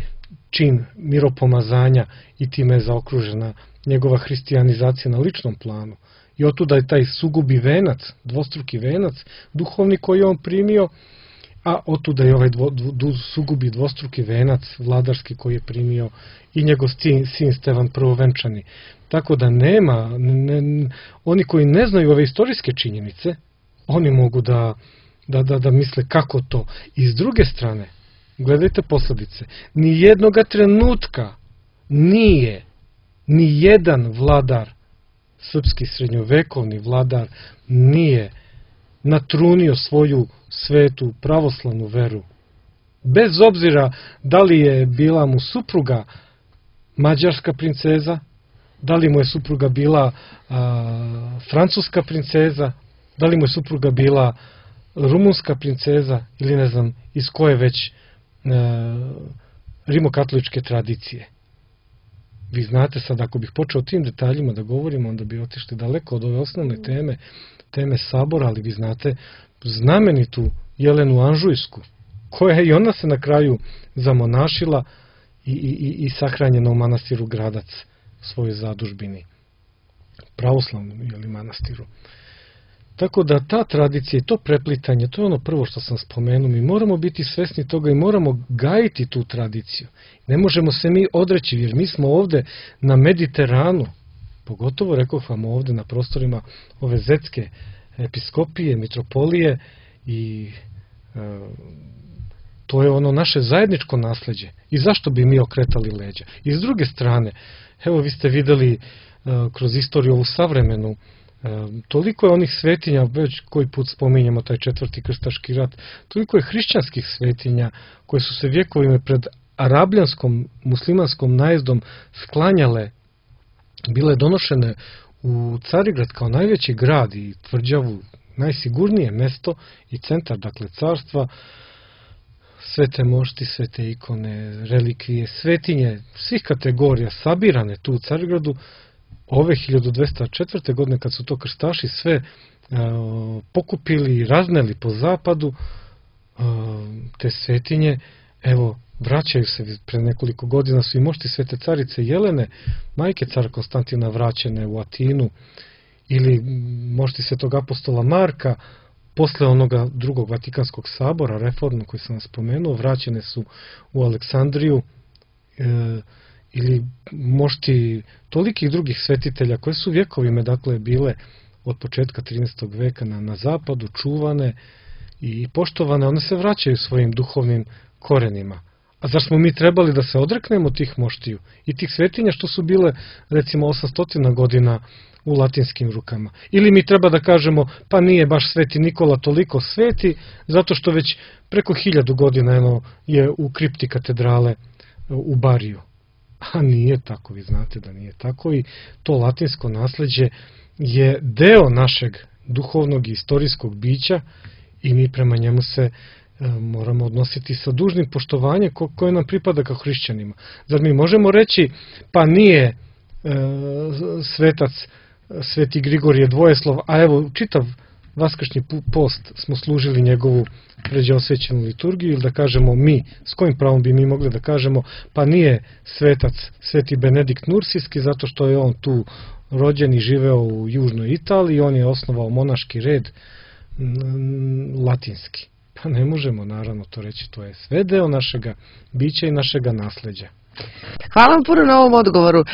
čin miropomazanja i time je zaokružena njegova hrišćanizacija na ličnom planu. I otuda je taj sugubi venac, dvostruki venac, duhovni koji je on primio, a otuda je ovaj sugubi dvostruki venac vladarski koji je primio i njegov sin Stevan Prvovenčani. Tako da nema, oni koji ne znaju ove istorijske činjenice, oni mogu da misle kako to. I s druge strane, gledajte posledice, ni jednoga trenutka nije ni jedan vladar, srpski srednjovekovni vladar, nije natrunio svoju svetu pravoslavnu veru. Bez obzira da li je bila mu supruga mađarska princeza, da li mu je supruga bila francuska princeza, da li mu je supruga bila rumunska princeza ili ne znam iz koje već rimokatoličke tradicije. Vi znate sad, ako bih počeo o tim detaljima da govorimo, onda bi otišli daleko od ove osnovne teme sabora, ali vi znate znamenitu Jelenu Anžujsku, koja je i ona se na kraju zamonašila i sahranjena u manastiru Gradac, svojoj zadužbini, pravoslavnom manastiru. Tako da ta tradicija i to preplitanje, to je ono prvo što sam spomenuo, mi moramo biti svesni toga i moramo gajiti tu tradiciju. Ne možemo se mi odreći, jer mi smo ovde na Mediteranu, pogotovo rekoh vam ovde na prostorima ove zetske episkopije, mitropolije i to je ono naše zajedničko nasleđe. I zašto bi mi okretali leđa? I s druge strane, evo vi ste videli kroz istoriju ovu savremenu, toliko je onih svetinja, već koji put spominjamo taj četvrti krstaški rat, toliko je hrišćanskih svetinja koje su se vjekovima pred arabljanskom, muslimanskom najezdom sklanjale, bile donošene u Carigrad kao najveći grad i tvrđavu, najsigurnije mesto i centar, dakle, carstva, svete mošti, svete ikone, relikvije, svetinje svih kategorija sabirane tu u Carigradu. Ove 1204. godine, kad su to krstaši sve pokupili i razneli po zapadu, te svetinje, evo, vraćaju se. Pre nekoliko godina su i mošti svete carice Jelene, majke cara Konstantina, vraćene u Atinu, ili mošti svetog apostola Marka, posle onoga drugog Vatikanskog sabora, reformno koji sam vam spomenuo, vraćene su u Aleksandriju, ili mošti tolikih drugih svetitelja koje su vjekovima, dakle, bile od početka 13. veka na zapadu, čuvane i poštovane, one se vraćaju svojim duhovnim korenima. A zar smo mi trebali da se odreknemo tih moštiju i tih svetinja što su bile, recimo, 800 godina u latinskim rukama? Ili mi treba da kažemo, pa nije baš Sveti Nikola toliko sveti, zato što već preko 1000 godina je u kripti katedrale u Bariju. A nije tako, vi znate da nije tako, i to latinsko nasleđe je deo našeg duhovnog i istorijskog bića i mi prema njemu se moramo odnositi sa dužnim poštovanjem koje nam pripada kao hrišćanima. Zar mi možemo reći, pa nije svetac Sveti Grigorije Dvojeslov, a evo čitav vaskršnji post smo služili njegovu pređeosvećenu liturgiju, ili da kažemo mi, s kojim pravom bi mi mogli da kažemo, pa nije svetac Sveti Benedikt Nursijski, zato što je on tu rođen i živeo u južnoj Italiji, on je osnovao monaški red latinski. Pa ne možemo naravno to reći, to je sve deo našega bića i našega nasleđa. Hvala vam puno na ovom odgovoru.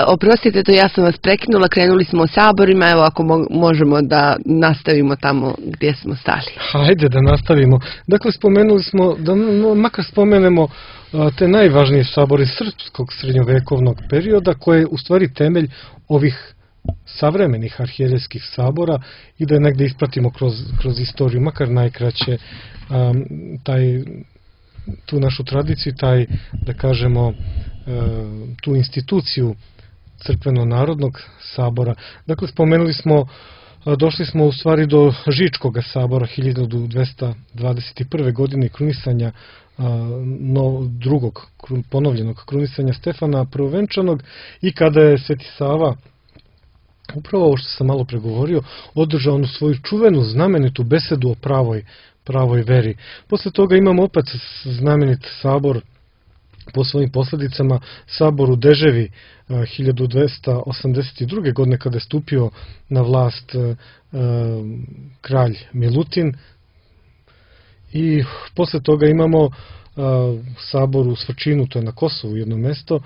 Oprostite, to ja sam vas prekinula, krenuli smo o saborima, evo ako možemo da nastavimo tamo gdje smo stali. Hajde da nastavimo. Dakle, spomenuli smo, da makar spomenemo te najvažnije sabore srpskog srednjovekovnog perioda, koje je u stvari temelj ovih savremenih arhijerejskih sabora, i da je negde ispratimo kroz istoriju, makar najkraće, tu našu tradiciju, da kažemo, tu instituciju crkveno-narodnog sabora. Dakle, spomenuli smo, došli smo u stvari do Žičkog sabora 1221. godine, krunisanja drugog ponovljenog krunisanja Stefana Prvovenčanog, i kada je Sveti Sava, upravo ovo što sam malo pregovorio, održao onu svoju čuvenu znamenitu besedu o pravoj pravoj veri. Posle toga imamo opet znamenit sabor po svojim posljedicama, sabor u Deževi 1282. godine kada je stupio na vlast kralj Milutin, i posle toga imamo sabor u Svrčinu, to je na Kosovu jedno mesto,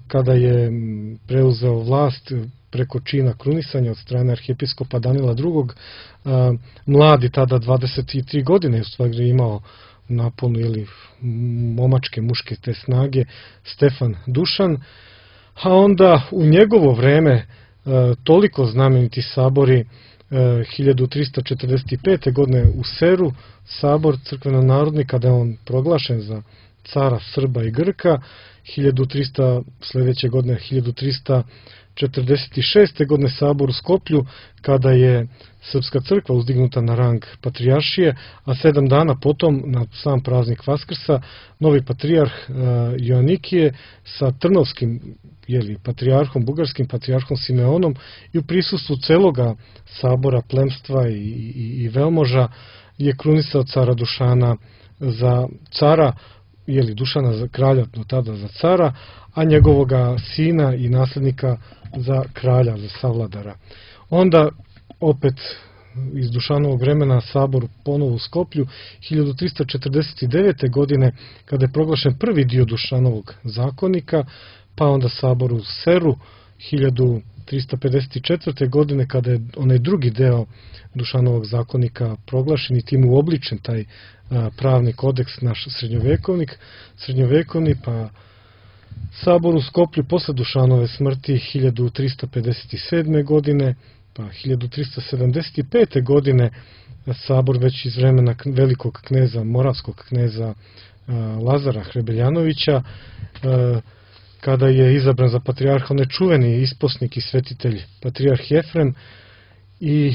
kada je preuzeo vlast preko čina krunisanja od strane arhijepiskopa Danila II. Mladi, tada 23 godine, u stvari imao naponu momačke, muške te snage, Stefan Dušan, a onda u njegovo vreme toliko znameniti sabori, 1345. godine u Seru, sabor crkveno-narodni, kada je on proglašen za cara Srba i Grka, sljedeće godine 1346. godine sabor u Skoplju, kada je Srpska crkva uzdignuta na rang patrijaršije, a 7 dana potom, na sam praznik Vaskrsa, novi patrijarh Joanikije sa Trnovskim patrijarhom, bugarskim patrijarhom Simeonom, i u prisustvu celoga sabora, plemstva i velmoža je krunisao cara Dušana za cara, Dušana za kralja, no tada za cara, a njegovoga sina i nasljednika za kralja, za savladara. Onda opet iz Dušanovog vremena sabor ponovo u Skoplju 1349. godine, kada je proglašen prvi dio Dušanovog zakonika, pa onda sabor u Seru 1354. godine, kada je onaj drugi deo Dušanovog zakonika proglašen i tim uobličen taj pravni kodeks, naš srednjovekovni, pa sabor u Skoplju posle Dušanove smrti 1357. godine, pa 1375. godine sabor već iz vremena velikog kneza, moravskog kneza Lazara Hrebeljanovića, kada je izabran za patrijarha onaj čuveni isposnik i svetitelj patrijarh Jefrem, i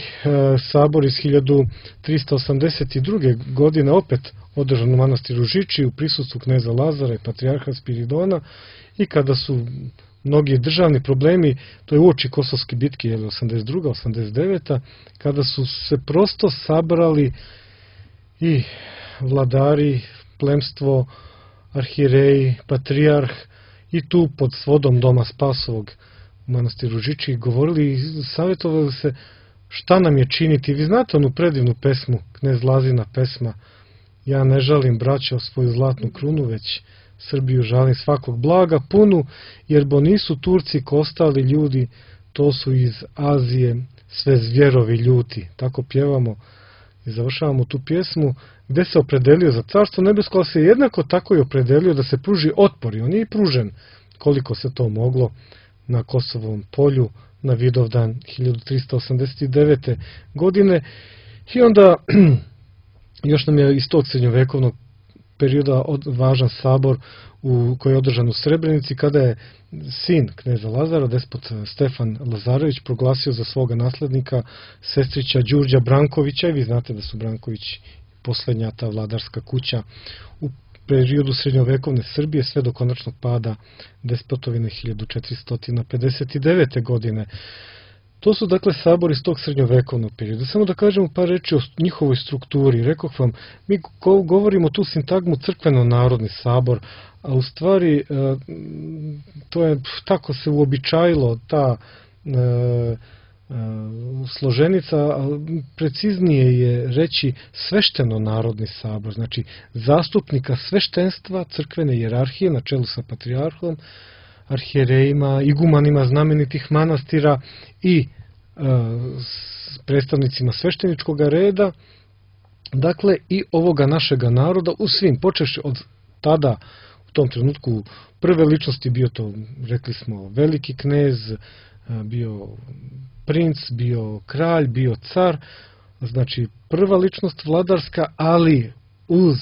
sabor iz 1382. godine opet održan u manastiru Žiči u prisustvu kneza Lazara i patrijarha Spiridona, i kada su mnogi državni problemi, to je uoči Kosovske bitke 82. 89. kada su se prosto sabrali i vladari, plemstvo, arhijereji, patrijarh, i tu pod svodom Doma Spasovog u manastiru Žiči govorili i savjetovali se šta nam je činiti. Vi znate onu predivnu pesmu, knez Lazina pesma: ja ne žalim, braćo, svoju zlatnu krunu, već Srbiju žalim svakog blaga punu, jer bo nisu Turci ko ostali ljudi, to su iz Azije sve zvjerovi ljuti. Tako pjevamo i završavamo tu pjesmu, gde se opredelio za carstvo nebesko, ali se jednako tako i opredelio da se pruži otpor, i on je i pružen koliko se to moglo na Kosovom polju na Vidovdan 1389. godine. I onda još nam je iz tog srednjovekovnog perioda važan sabor koji je održan u Srebrenici, kada je sin kneza Lazara, despot Stefan Lazarević, proglasio za svoga naslednika sestrića Đurđa Brankovića, i vi znate da su Brankovići poslednja ta vladarska kuća u periodu srednjovekovne Srbije, sve do konačnog pada despotovine 1459. godine. To su dakle sabori iz tog srednjovekovnog perioda. Samo da kažemo par reči o njihovoj strukturi. Rekoh vam, mi govorimo tu sintagmu crkveno-narodni sabor, a u stvari to je tako se uobičajilo, ta složenica, preciznije je reći svešteno-narodni sabor, znači zastupnika sveštenstva, crkvene hijerarhije na čelu sa patrijarhom, arhijerejima, igumanima znamenitih manastira i predstavnicima svešteničkog reda, dakle i ovoga našega naroda u svim, počeš od tada, u tom trenutku prve ličnosti, bio to, rekli smo, veliki knez, bio princ, bio kralj, bio car, znači prva ličnost vladarska, ali uz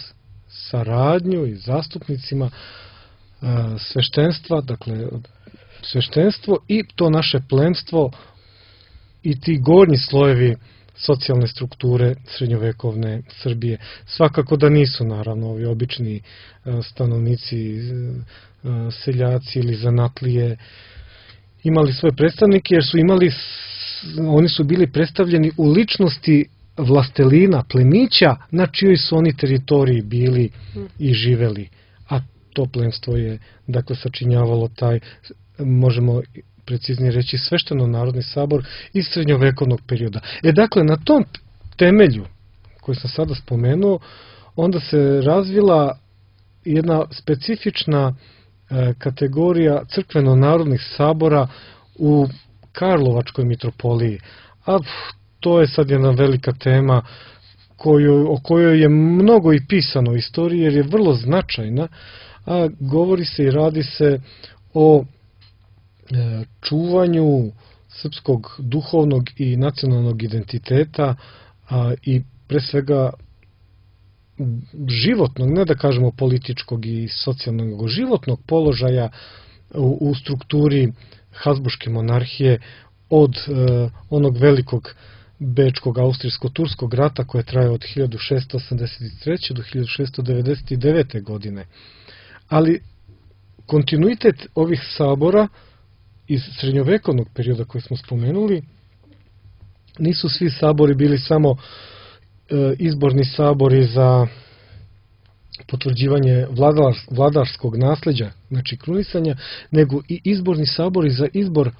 saradnju i zastupnicima sveštenstva, dakle sveštenstvo i to naše plemstvo i ti gornji slojevi socijalne strukture srednjovekovne Srbije. Svakako da nisu, naravno, ovi obični stanovnici, seljaci ili zanatlije imali svoje predstavnike, jer su imali, oni su bili predstavljeni u ličnosti vlastelina, plemića na čijoj su oni teritoriji bili i živeli. A to plemstvo je, dakle, sačinjavalo taj, možemo preciznije reći, svešteno-narodni sabor iz srednjovekovnog perioda. Dakle, na tom temelju, koji sam sada spomenuo, onda se razvila jedna specifična kategorija crkveno-narodnih sabora u Karlovačkoj mitropoliji. A to je sad jedna velika tema o kojoj je mnogo i pisano u istoriji, jer je vrlo značajna, a govori se i radi se o čuvanju srpskog duhovnog i nacionalnog identiteta i pre svega životnog, ne da kažemo političkog i socijalnog, nego životnog položaja u strukturi Habsburške monarhije od onog velikog Bečkog austrijsko-turskog rata koje traje od 1683. do 1699. godine. Ali kontinuitet ovih sabora iz srednjovekovnog perioda koje smo spomenuli, nisu svi sabori bili samo izborni sabori za potvrđivanje vladarskog nasleđa, znači krunisanja, nego i izborni sabori za izbor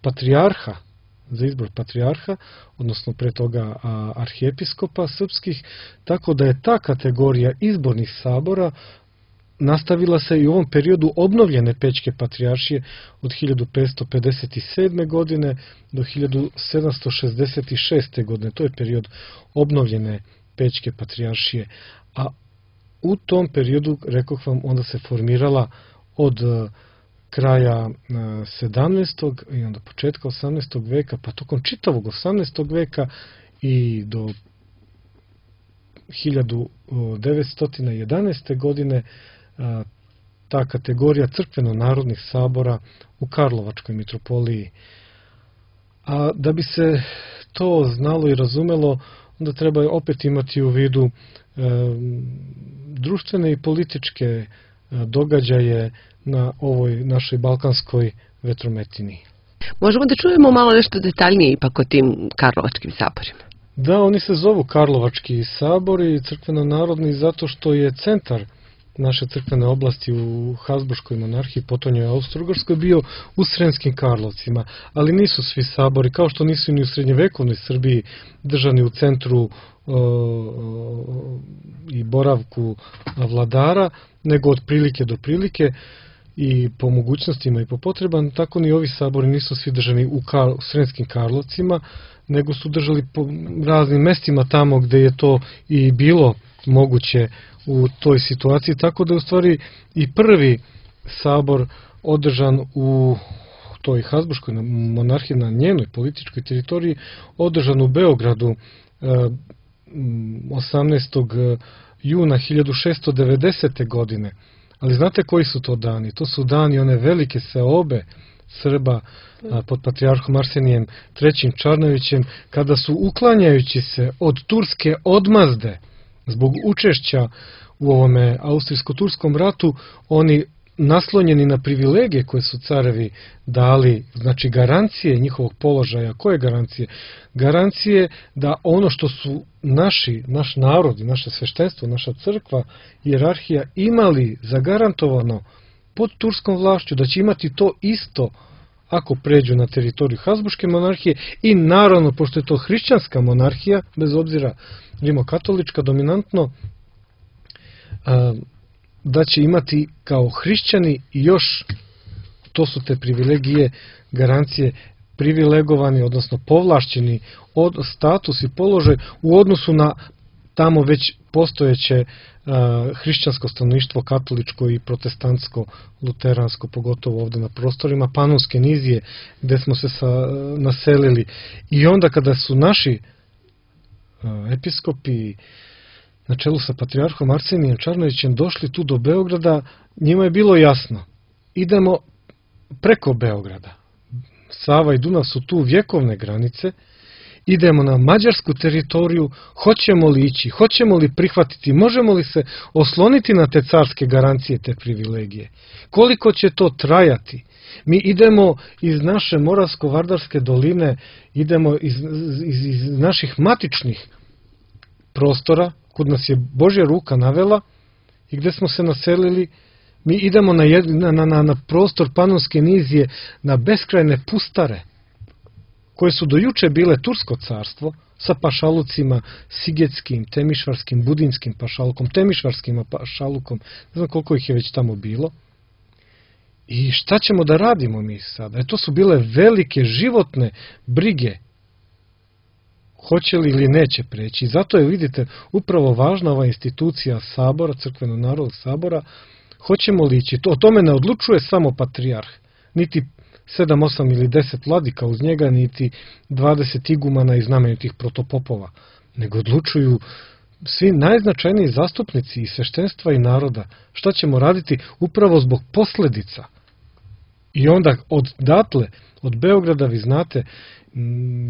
patrijarha, odnosno pre toga arhijepiskopa srpskih, tako da je ta kategorija izbornih sabora nastavila se i u ovom periodu obnovljene Pećke patrijaršije od 1557. godine do 1766. godine. To je period obnovljene Pećke patrijaršije. A u tom periodu, rekoh vam, onda se formirala od kraja 17. i onda početka 18. veka, pa tokom čitavog 18. veka i do 1911. godine ta kategorija crkveno-narodnih sabora u Karlovačkoj mitropoliji. A da bi se to znalo i razumelo, onda treba opet imati u vidu društvene i političke događaje na ovoj našoj balkanskoj vetrometini. Možemo da čujemo malo nešto detaljnije ipak o tim Karlovačkim saborima? Da, oni se zovu Karlovački sabori, crkveno-narodni, zato što je centar naše crkvene oblasti u Habsburškoj monarhiji, potonjoj Austro-Ugarskoj, bio u Sremskim Karlovcima, ali nisu svi sabori, kao što nisu ni u srednjevekovnoj Srbiji držani u centru i boravku vladara, nego od prilike do prilike i po mogućnostima i po potrebama, tako ni ovi sabori nisu svi držani u Sremskim Karlovcima, nego su držali po raznim mestima tamo gde je to i bilo moguće u toj situaciji, tako da je u stvari i prvi sabor održan u toj Habsburškoj monarhiji na njenoj političkoj teritoriji, održan u Beogradu 18. juna 1690. godine. Ali znate koji su to dani? To su dani one velike seobe Srba pod patrijarhom Arsenijem III. Čarnojevićem, kada su, uklanjajući se od turske odmazde zbog učešća u ovome austrijsko-turskom ratu, oni naslonjeni na privilegije koje su carevi dali, znači garancije njihovog položaja. Koje garancije? Garancije da ono što su naš narod i naše sveštenstvo, naša crkva, hijerarhija imali zagarantovano pod turskom vlašću, da će imati to isto ako pređu na teritoriju Habsburške monarhije i naravno, pošto je to hrišćanska monarhija, bez obzira rimokatolička dominantno, da će imati kao hrišćani još, to su te privilegije, garancije, privilegovani, odnosno povlašćeni od status i položaj u odnosu na tamo već postojeće hrišćansko stanovništvo, katoličko i protestantsko, luteransko, pogotovo ovde na prostorima Panonske nizije, gde smo se naselili. I onda kada su naši episkopi na čelu sa patrijarhom Arsenijem Čarnojevićem došli tu do Beograda, njima je bilo jasno, idemo preko Beograda. Sava i Dunav su tu vjekovne granice, idemo na mađarsku teritoriju, hoćemo li ići, hoćemo li prihvatiti, možemo li se osloniti na te carske garancije, te privilegije. Koliko će to trajati? Mi idemo iz naše Moravsko-Vardarske doline, idemo iz naših matičnih prostora, kud nas je Božja ruka navela i gde smo se naselili. Mi idemo na prostor Panonske nizije, na beskrajne pustare, koje su do juče bile Tursko carstvo, sa pašalucima, Sigetskim, Temišvarskim, Budinskim pašalukom, Temišvarskim pašalukom, ne znam koliko ih je već tamo bilo. I šta ćemo da radimo mi sada? To su bile velike životne brige. Hoće li ili neće preći. I zato je, vidite, upravo važna ova institucija sabora, crkveno-narodnog sabora. Hoćemo li ići? O tome ne odlučuje samo patrijarh, niti 7, 8 ili 10 vladika uz njega, niti 20 igumana i znamenitih protopopova, nego odlučuju svi najznačajniji zastupnici i sveštenstva i naroda. Šta ćemo raditi upravo zbog posledica? I onda odatle, od Beograda, vi znate,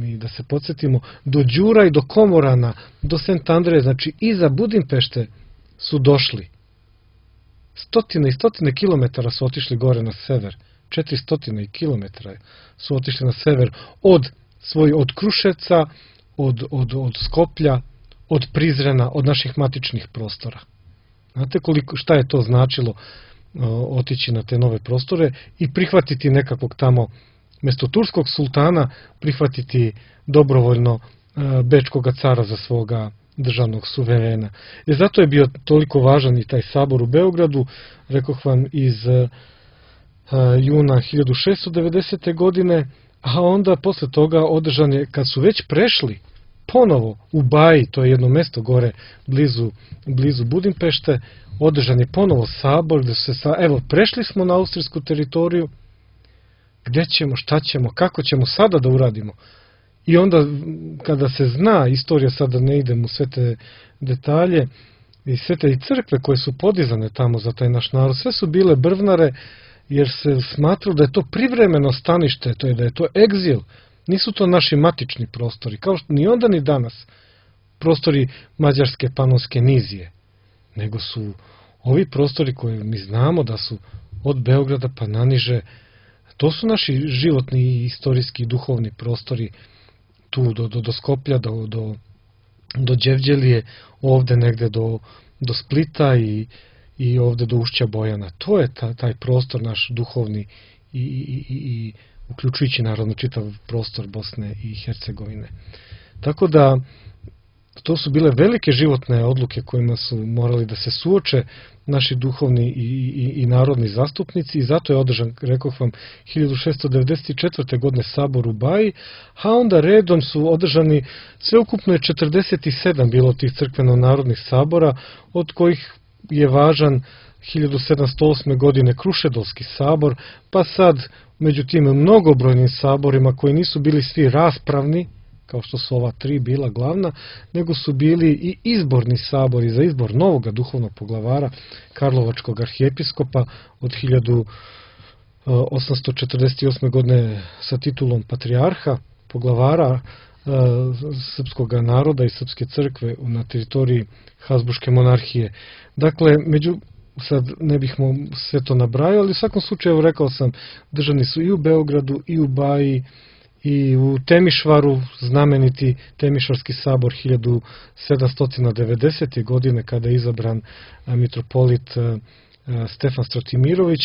i da se podsjetimo, do Đura i do Komorana, do Sent Andreje, znači iza Budimpešte su došli. Stotine i stotine kilometara su otišli gore na sever. 400 kilometara su otišli na sever od Kruševca, od Skoplja, od Prizrena, od naših matičnih prostora. Znate šta je to značilo otići na te nove prostore i prihvatiti nekakvog tamo, mjesto turskog sultana, prihvatiti dobrovoljno bečkog cara za svoga državnog suverena. I zato je bio toliko važan i taj sabor u Beogradu, rekoh vam, iz juna 1690. godine, a onda posle toga održan je, kad su već prešli ponovo u Baji, to je jedno mesto gore blizu Budimpešte, održan je ponovo sabor, gde se evo, prešli smo na austrijsku teritoriju, gde ćemo, šta ćemo, kako ćemo sada da uradimo? I onda, kada se zna istorija, sada ne idem u sve te detalje, i sve te i crkve koje su podizane tamo za taj naš narod, sve su bile brvnare, jer se smatralo da je to privremeno stanište, to je da je to egzil. Nisu to naši matični prostori, kao što ni onda ni danas prostori Mađarske Panonske nizije, nego su ovi prostori koje mi znamo da su od Beograda pa naniže, to su naši životni i istorijski i duhovni prostori, tu do Skoplja, do Đevđelije, ovde negde do Splita i ovde do Ušća Bojana. To je taj prostor naš duhovni i uključujući naravno čitav prostor Bosne i Hercegovine. Tako da to su bile velike životne odluke kojima su morali da se suoče naši duhovni i narodni zastupnici i zato je održan, rekoh vam, 1694. godine sabor u Baji, a onda redom su održani, sveukupno je 47 bilo tih crkveno-narodnih sabora, od kojih je važan 1708. godine Krušedolski sabor, pa sad među tim mnogobrojnim saborima koji nisu bili svi raspravni, kao što su ova 3 bila glavna, nego su bili i izborni sabori za izbor novog duhovnog poglavara Karlovačkog arhijepiskopa od 1848. godine sa titulom patrijarha, poglavara srpskog naroda i srpske crkve na teritoriji Habsburške monarhije. Dakle, sad ne bih sve to nabrajao, ali u svakom slučaju, rekao sam, držani su i u Beogradu, i u Baji, i u Temišvaru, znameniti Temišvarski sabor 1790. godine, kada je izabran mitropolit Stefan Stratimirović,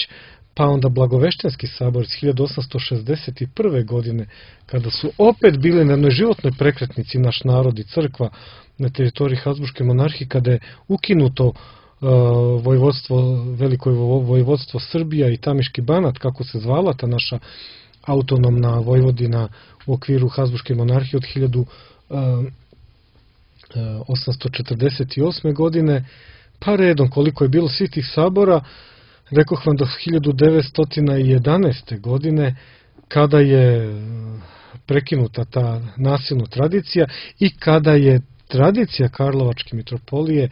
pa onda Blagoveštenski sabor iz 1861. godine, kada su opet bili na jednoj životnoj prekretnici naš narod i crkva na teritoriji Habsburške monarhije, kada je ukinuto veliko vojvodstvo Srbija i Tamiški Banat, kako se zvala ta naša autonomna Vojvodina u okviru Habsburške monarhije od 1848. godine, pa redom koliko je bilo svih tih sabora, rekoh vam do 1911. godine, kada je prekinuta ta nasilna tradicija i kada je tradicija Karlovačke mitropolije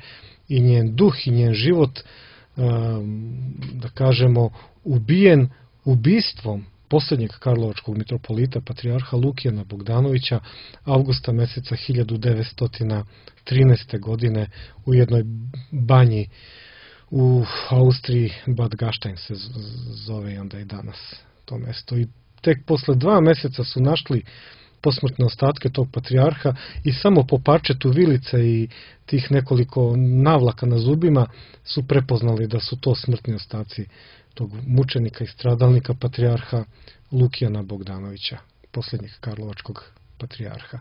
i njen duh i njen život, da kažemo, ubijen ubistvom posljednjeg karlovačkog mitropolita, patrijarha Lukijana Bogdanovića, avgusta meseca 1913. godine u jednoj banji u Austriji, Bad Gastein se zove i onda i danas to mesto. I tek posle 2 meseca su našli posmrtne ostatke tog patrijarha i samo po parčetu vilice i tih nekoliko navlaka na zubima su prepoznali da su to smrtni ostaci tog mučenika i stradalnika patrijarha Lukijana Bogdanovića, posljednjeg karlovačkog patrijarha.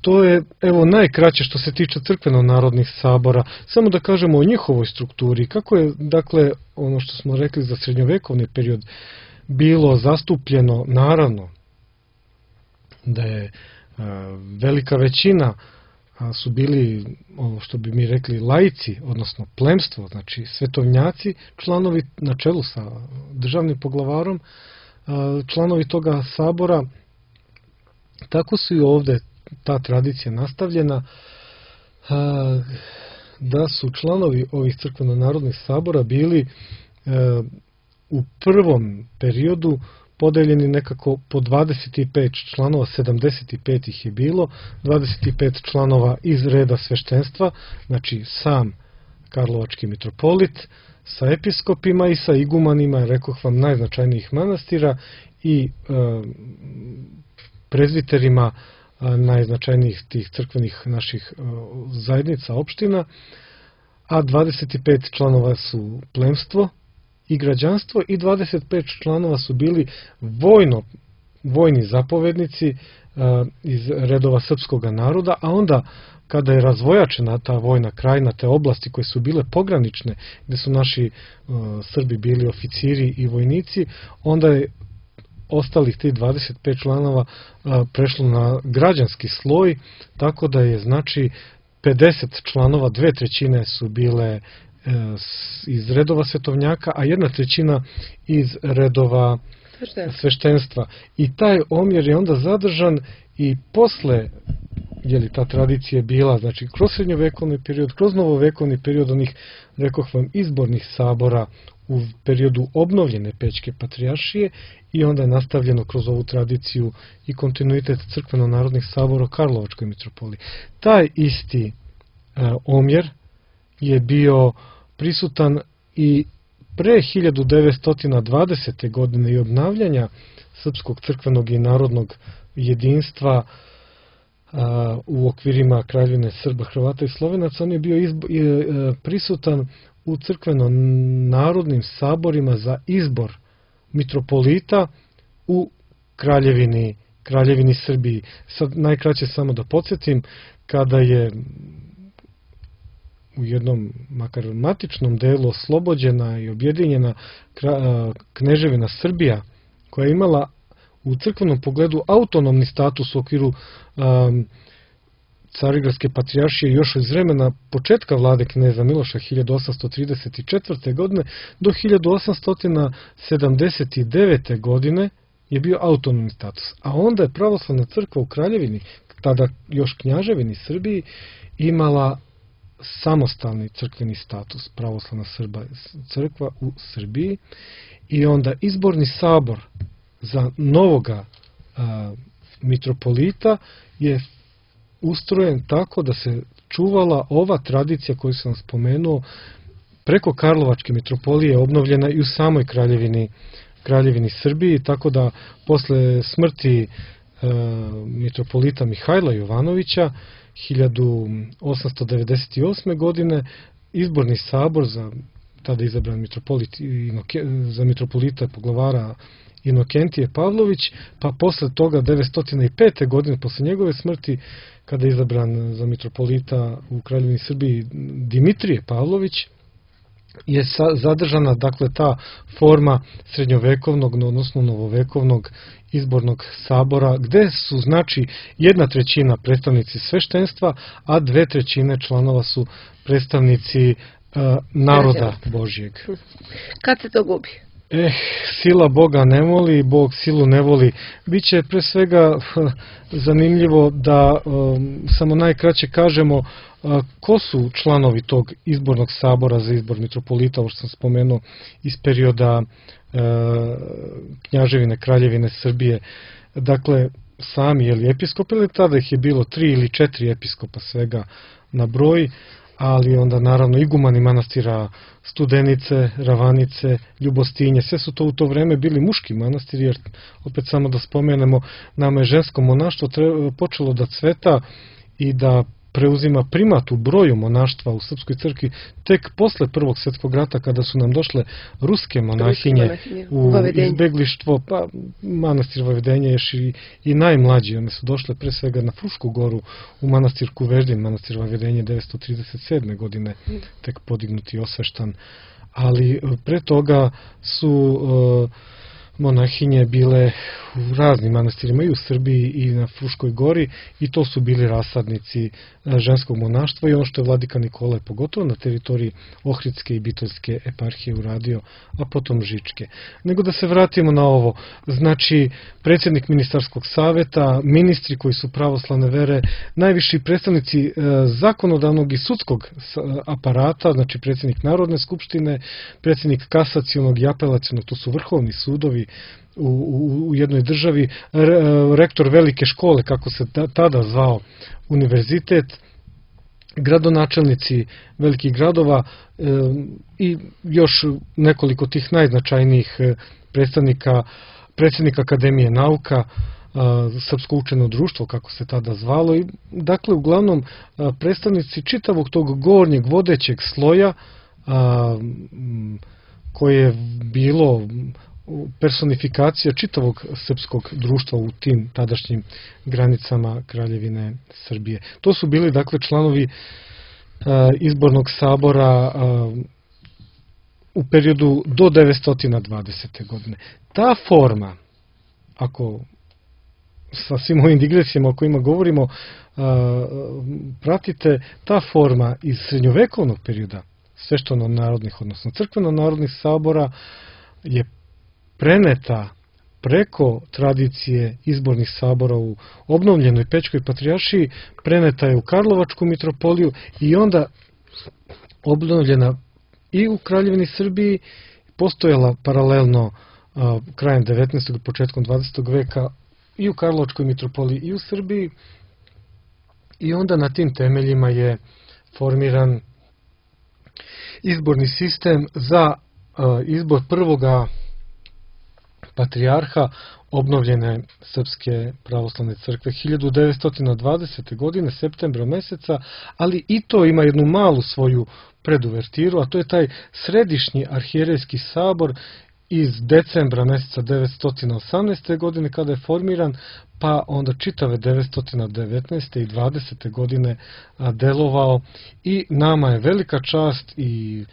To je, evo, najkraće što se tiče crkveno-narodnih sabora. Samo da kažemo o njihovoj strukturi. Kako je, dakle, ono što smo rekli za srednjovekovni period bilo zastupljeno, naravno, da je velika većina su bili, ono što bi mi rekli, laici, odnosno plemstvo, znači svetovnjaci, članovi na čelu sa državnim poglavarom, članovi toga sabora. Tako su i ovde ta tradicija nastavljena, da su članovi ovih crkveno-narodnih sabora bili u prvom periodu podeljeni nekako po 25 članova, 75 ih je bilo, 25 članova iz reda sveštenstva, znači sam karlovački mitropolit, sa episkopima i sa igumanima, rekoh vam, najznačajnijih manastira i prezbiterima najznačajnijih tih crkvenih naših zajednica, opština, a 25 članova su plemstvo i građanstvo i 25 članova su bili vojni zapovednici iz redova srpskog naroda, a onda kada je razvojačena ta vojna krajina, te oblasti koje su bile pogranične, gde su naši Srbi bili oficiri i vojnici, onda je ostalih tih 25 članova prešlo na građanski sloj, tako da je, znači, 50 članova, 2/3 su bile iz redova svetovnjaka, a 1/3 iz redova sveštenstva. I taj omjer je onda zadržan i posle, je li ta tradicija bila, znači, kroz srednjovekovni period, kroz novovekovni period onih, rekoh vam, izbornih sabora u periodu obnovljene Pećke patrijaršije i onda je nastavljeno kroz ovu tradiciju i kontinuitet crkveno-narodnih sabora u Karlovačkoj mitropoliji. Taj isti omjer je bio prisutan i pre 1920. godine i obnavljanja srpskog crkvenog i narodnog jedinstva u okvirima Kraljevine Srba, Hrvata i Slovenaca. On je bio prisutan u crkveno-narodnim saborima za izbor mitropolita u Kraljevini Srbiji. Sad najkraće samo da podsjetim, kada je u jednom makar matičnom delu oslobođena i objedinjena Kneževina Srbija, koja je imala u crkvenom pogledu autonomni status u okviru Carigradske patrijaršije još iz vremena početka vlade kneza Miloša 1834. godine do 1879. godine je bio autonomni status. A onda je pravoslavna crkva u Kraljevini, tada još Knjaževini Srbiji, imala samostalni crkveni status, pravoslavna crkva u Srbiji, i onda izborni sabor za novoga mitropolita je ustrojen tako da se čuvala ova tradicija koju sam spomenuo preko Karlovačke mitropolije, obnovljena i u samoj Kraljevini Srbiji, tako da posle smrti mitropolita Mihajla Jovanovića 1898. godine izborni sabor za tada izabran mitropolit, za mitropolita poglavara Inokentije Pavlović, pa posle toga 905. godine, posle njegove smrti, kada je izabran za mitropolita u Kraljevini Srbiji Dimitrije Pavlović, je zadržana, dakle, ta forma srednjovekovnog, odnosno novovekovnog izbornog sabora, gde su, znači, 1/3 predstavnici sveštenstva, a 2/3 članova su predstavnici naroda Božjeg. Kad se to gubi? Sila Boga ne voli, Bog silu ne voli. Biće pre svega zanimljivo da samo najkraće kažemo ko su članovi tog izbornog sabora za izbor mitropolita, ovo što sam spomenuo, iz perioda Knjaževine, Kraljevine Srbije. Dakle, sami episkopi, ili tada ih je bilo 3 ili 4 episkopa svega na broj, ali onda naravno igumani manastira Studenice, Ravanice, Ljubostinje, sve su to u to vreme bili muški manastiri, jer opet samo da spomenemo, nama je žensko monaštvo počelo da cveta i da preuzima primat u broju monaštva u Srpskoj crkvi tek posle Prvog svjetskog rata, kada su nam došle ruske monahinje u izbeglištvo, pa manastir Vavedenje je i najmlađi, one su došle pre svega na Frušku goru u manastir Kuveždin, manastir Vavedenje 937. godine tek podignut i osveštan, ali pre toga su monahinje bile u raznim manastirima i u Srbiji i na Fruškoj gori i to su bili rasadnici ženskog monaštva i ono što je vladika Nikola pogotovo na teritoriji Ohridske i Bitoljske eparhije uradio, a potom Žičke. Nego da se vratimo na ovo, znači predsjednik ministarskog saveta, ministri koji su pravoslavne vere, najviši predstavnici zakonodavnog i sudskog aparata, znači predsjednik Narodne skupštine, predsjednik kasacionog i apelacionog, to su vrhovni sudovi u jednoj državi, rektor velike škole, kako se tada zvao univerzitet, gradonačelnici velikih gradova i još nekoliko tih najznačajnijih predstavnika, predsjednik Akademije nauka, Srpsko učeno društvo, kako se tada zvalo, i dakle uglavnom predstavnici čitavog tog gornjeg vodećeg sloja koje je bilo personifikacija čitavog srpskog društva u tim tadašnjim granicama Kraljevine Srbije. To su bili dakle članovi izbornog sabora u periodu do 920. godine. Ta forma, ako sa svim ovim digresijama o kojima govorimo pratite, ta forma iz srednjovekovnog perioda svešteno-narodnih, odnosno crkveno-narodnih sabora je preneta preko tradicije izbornih sabora u obnovljenoj Pećkoj patrijaršiji, preneta je u Karlovačku mitropoliju i onda obnovljena i u Kraljevini Srbiji, postojala paralelno krajem 19. i početkom 20. veka i u Karlovačkoj mitropoliji i u Srbiji, i onda na tim temeljima je formiran izborni sistem za izbor prvoga patrijarha obnovljene Srpske pravoslavne crkve 1920. godine, septembra meseca, ali i to ima jednu malu svoju preduvertiru, a to je taj središnji arhijerejski sabor iz decembra meseca 918. godine kada je formiran, pa onda čitave 919. i 20. godine delovao, i nama je velika čast i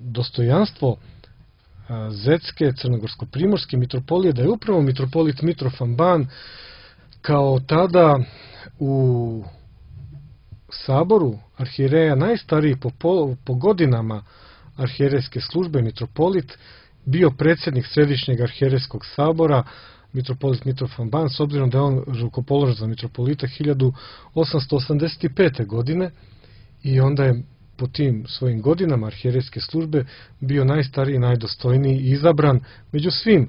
dostojanstvo Zetske, crnogorsko-primorske mitropolije, da je upravo mitropolit Mitrofan Ban kao tada u saboru arhijereja najstariji po godinama arhijerejske službe, mitropolit, bio predsjednik Središnjeg arhijerejskog sabora, mitropolit Mitrofan Ban, s obzirom da je on rukopoložen za mitropolita 1885. godine, i onda je po tim svojim godinama arhijerejske službe bio najstariji i najdostojniji i izabran među svim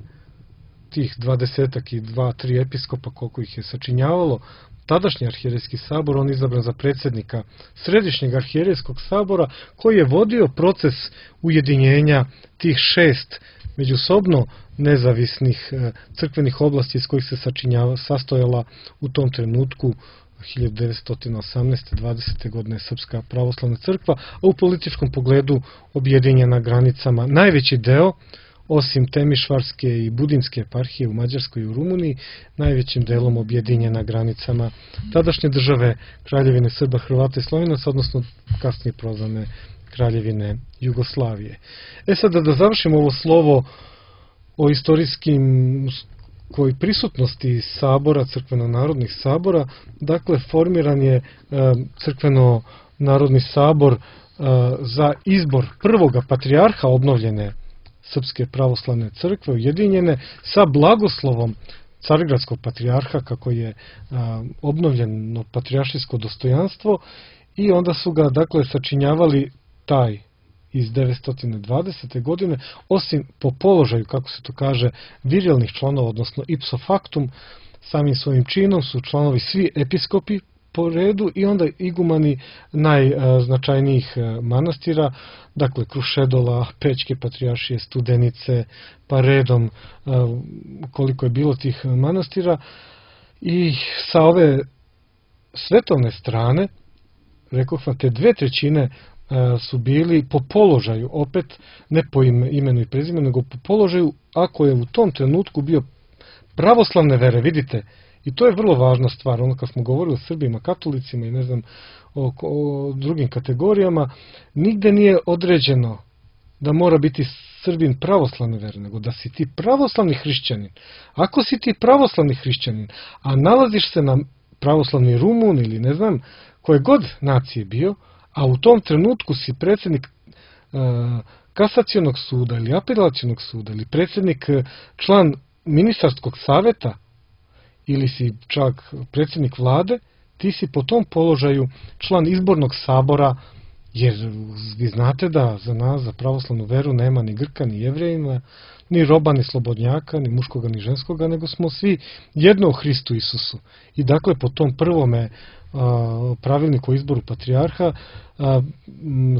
tih 20 i 2-3 episkopa koliko ih je sačinjavalo tadašnji arhijerejski sabor. On je izabran za predsjednika Središnjeg arhijerejskog sabora, koji je vodio proces ujedinjenja tih 6 međusobno nezavisnih crkvenih oblasti iz kojih se sastojala u tom trenutku 1918. 20. godine Srpska pravoslavna crkva, a u političkom pogledu objedinjena granicama. Najveći deo, osim Temišvarske i Budinske eparhije u Mađarskoj i u Rumuniji, najvećim delom objedinjena granicama tadašnje države Kraljevine Srba, Hrvata i Slovenaca, odnosno kasnije prozvane Kraljevine Jugoslavije. Sada da završimo ovo slovo o istorijskim koji prisutnosti sabora, crkveno-narodnih sabora, dakle formiran je crkveno-narodni sabor za izbor prvoga patrijarha obnovljene Srpske pravoslavne crkve ujedinjene sa blagoslovom Carigradskog patrijarha, kako je obnovljeno patrijaršijsko dostojanstvo, i onda su ga dakle sačinjavali taj iz 920. godine, osim po položaju, kako se to kaže, virilnih članova, odnosno ipso factum, samim svojim činom su članovi svi episkopi po redu i onda igumani najznačajnijih manastira, dakle Krušedola, Pećke patrijaršije, Studenice, pa redom koliko je bilo tih manastira. I sa ove svetovne strane, rekoh vam, te 2/3 su bili po položaju, opet ne po imenu i prezimenu, nego po položaju, ako je u tom trenutku bio pravoslavne vere, vidite, i to je vrlo važna stvar, ono kad smo govorili o Srbima, katolicima i ne znam, o drugim kategorijama, nigde nije određeno da mora biti Srbin pravoslavne vere, nego da si ti pravoslavni hrišćanin. Ako si ti pravoslavni hrišćanin, a nalaziš se na pravoslavni Rumun ili ne znam koje god nacije bio, a u tom trenutku si predsjednik kasacionog suda ili apelacionog suda ili predsjednik član ministarskog saveta ili si čak predsjednik vlade, ti si po tom položaju član izbornog sabora, jer vi znate da za nas, za pravoslavnu veru, nema ni Grka, ni Jevrejina, ni roba, ni slobodnjaka, ni muškoga, ni ženskoga, nego smo svi jedno u Hristu Isusu. I dakle, po tom prvome pravilniku o izboru patrijarha,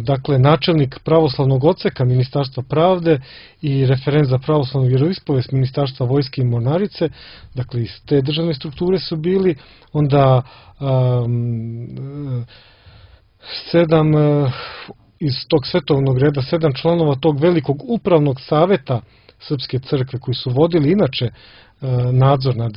dakle, načelnik pravoslavnog odseka Ministarstva pravde i referent za pravoslavnu vjeroispovest Ministarstva vojske i mornarice, dakle, iz te državne strukture su bili, onda 7 iz tog svetovnog reda, 7 članova tog velikog upravnog saveta Srpske crkve, koji su vodili inače nadzor nad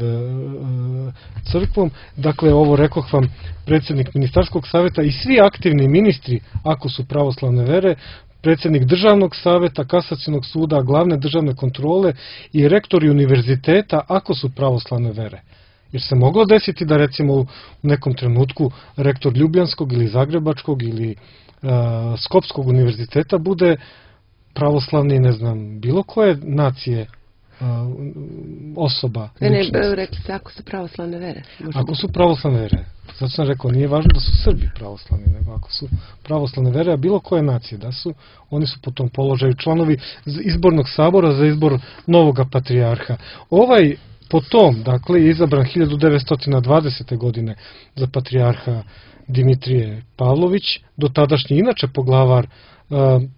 crkvom. Dakle, ovo rekoh vam, predsjednik ministarskog saveta i svi aktivni ministri, ako su pravoslavne vere, predsjednik državnog saveta, kasacionog suda, glavne državne kontrole i rektori univerziteta, ako su pravoslavne vere. Jer se moglo desiti da recimo u nekom trenutku rektor Ljubljanskog ili Zagrebačkog ili Skopskog univerziteta bude pravoslavni, ne znam, bilo koje nacije osoba. Ne, rekli ste ako su pravoslavne vere. Ako su pravoslavne vere. Zato sam rekao, nije važno da su Srbi pravoslavni, nego ako su pravoslavne vere, a bilo koje nacije da su, oni su po tom položaju članovi izbornog sabora za izbor novoga patrijarha. Ovaj potom, dakle, je izabran 1920. godine za patrijarha Dimitrije Pavlović, dotadašnji inače poglavar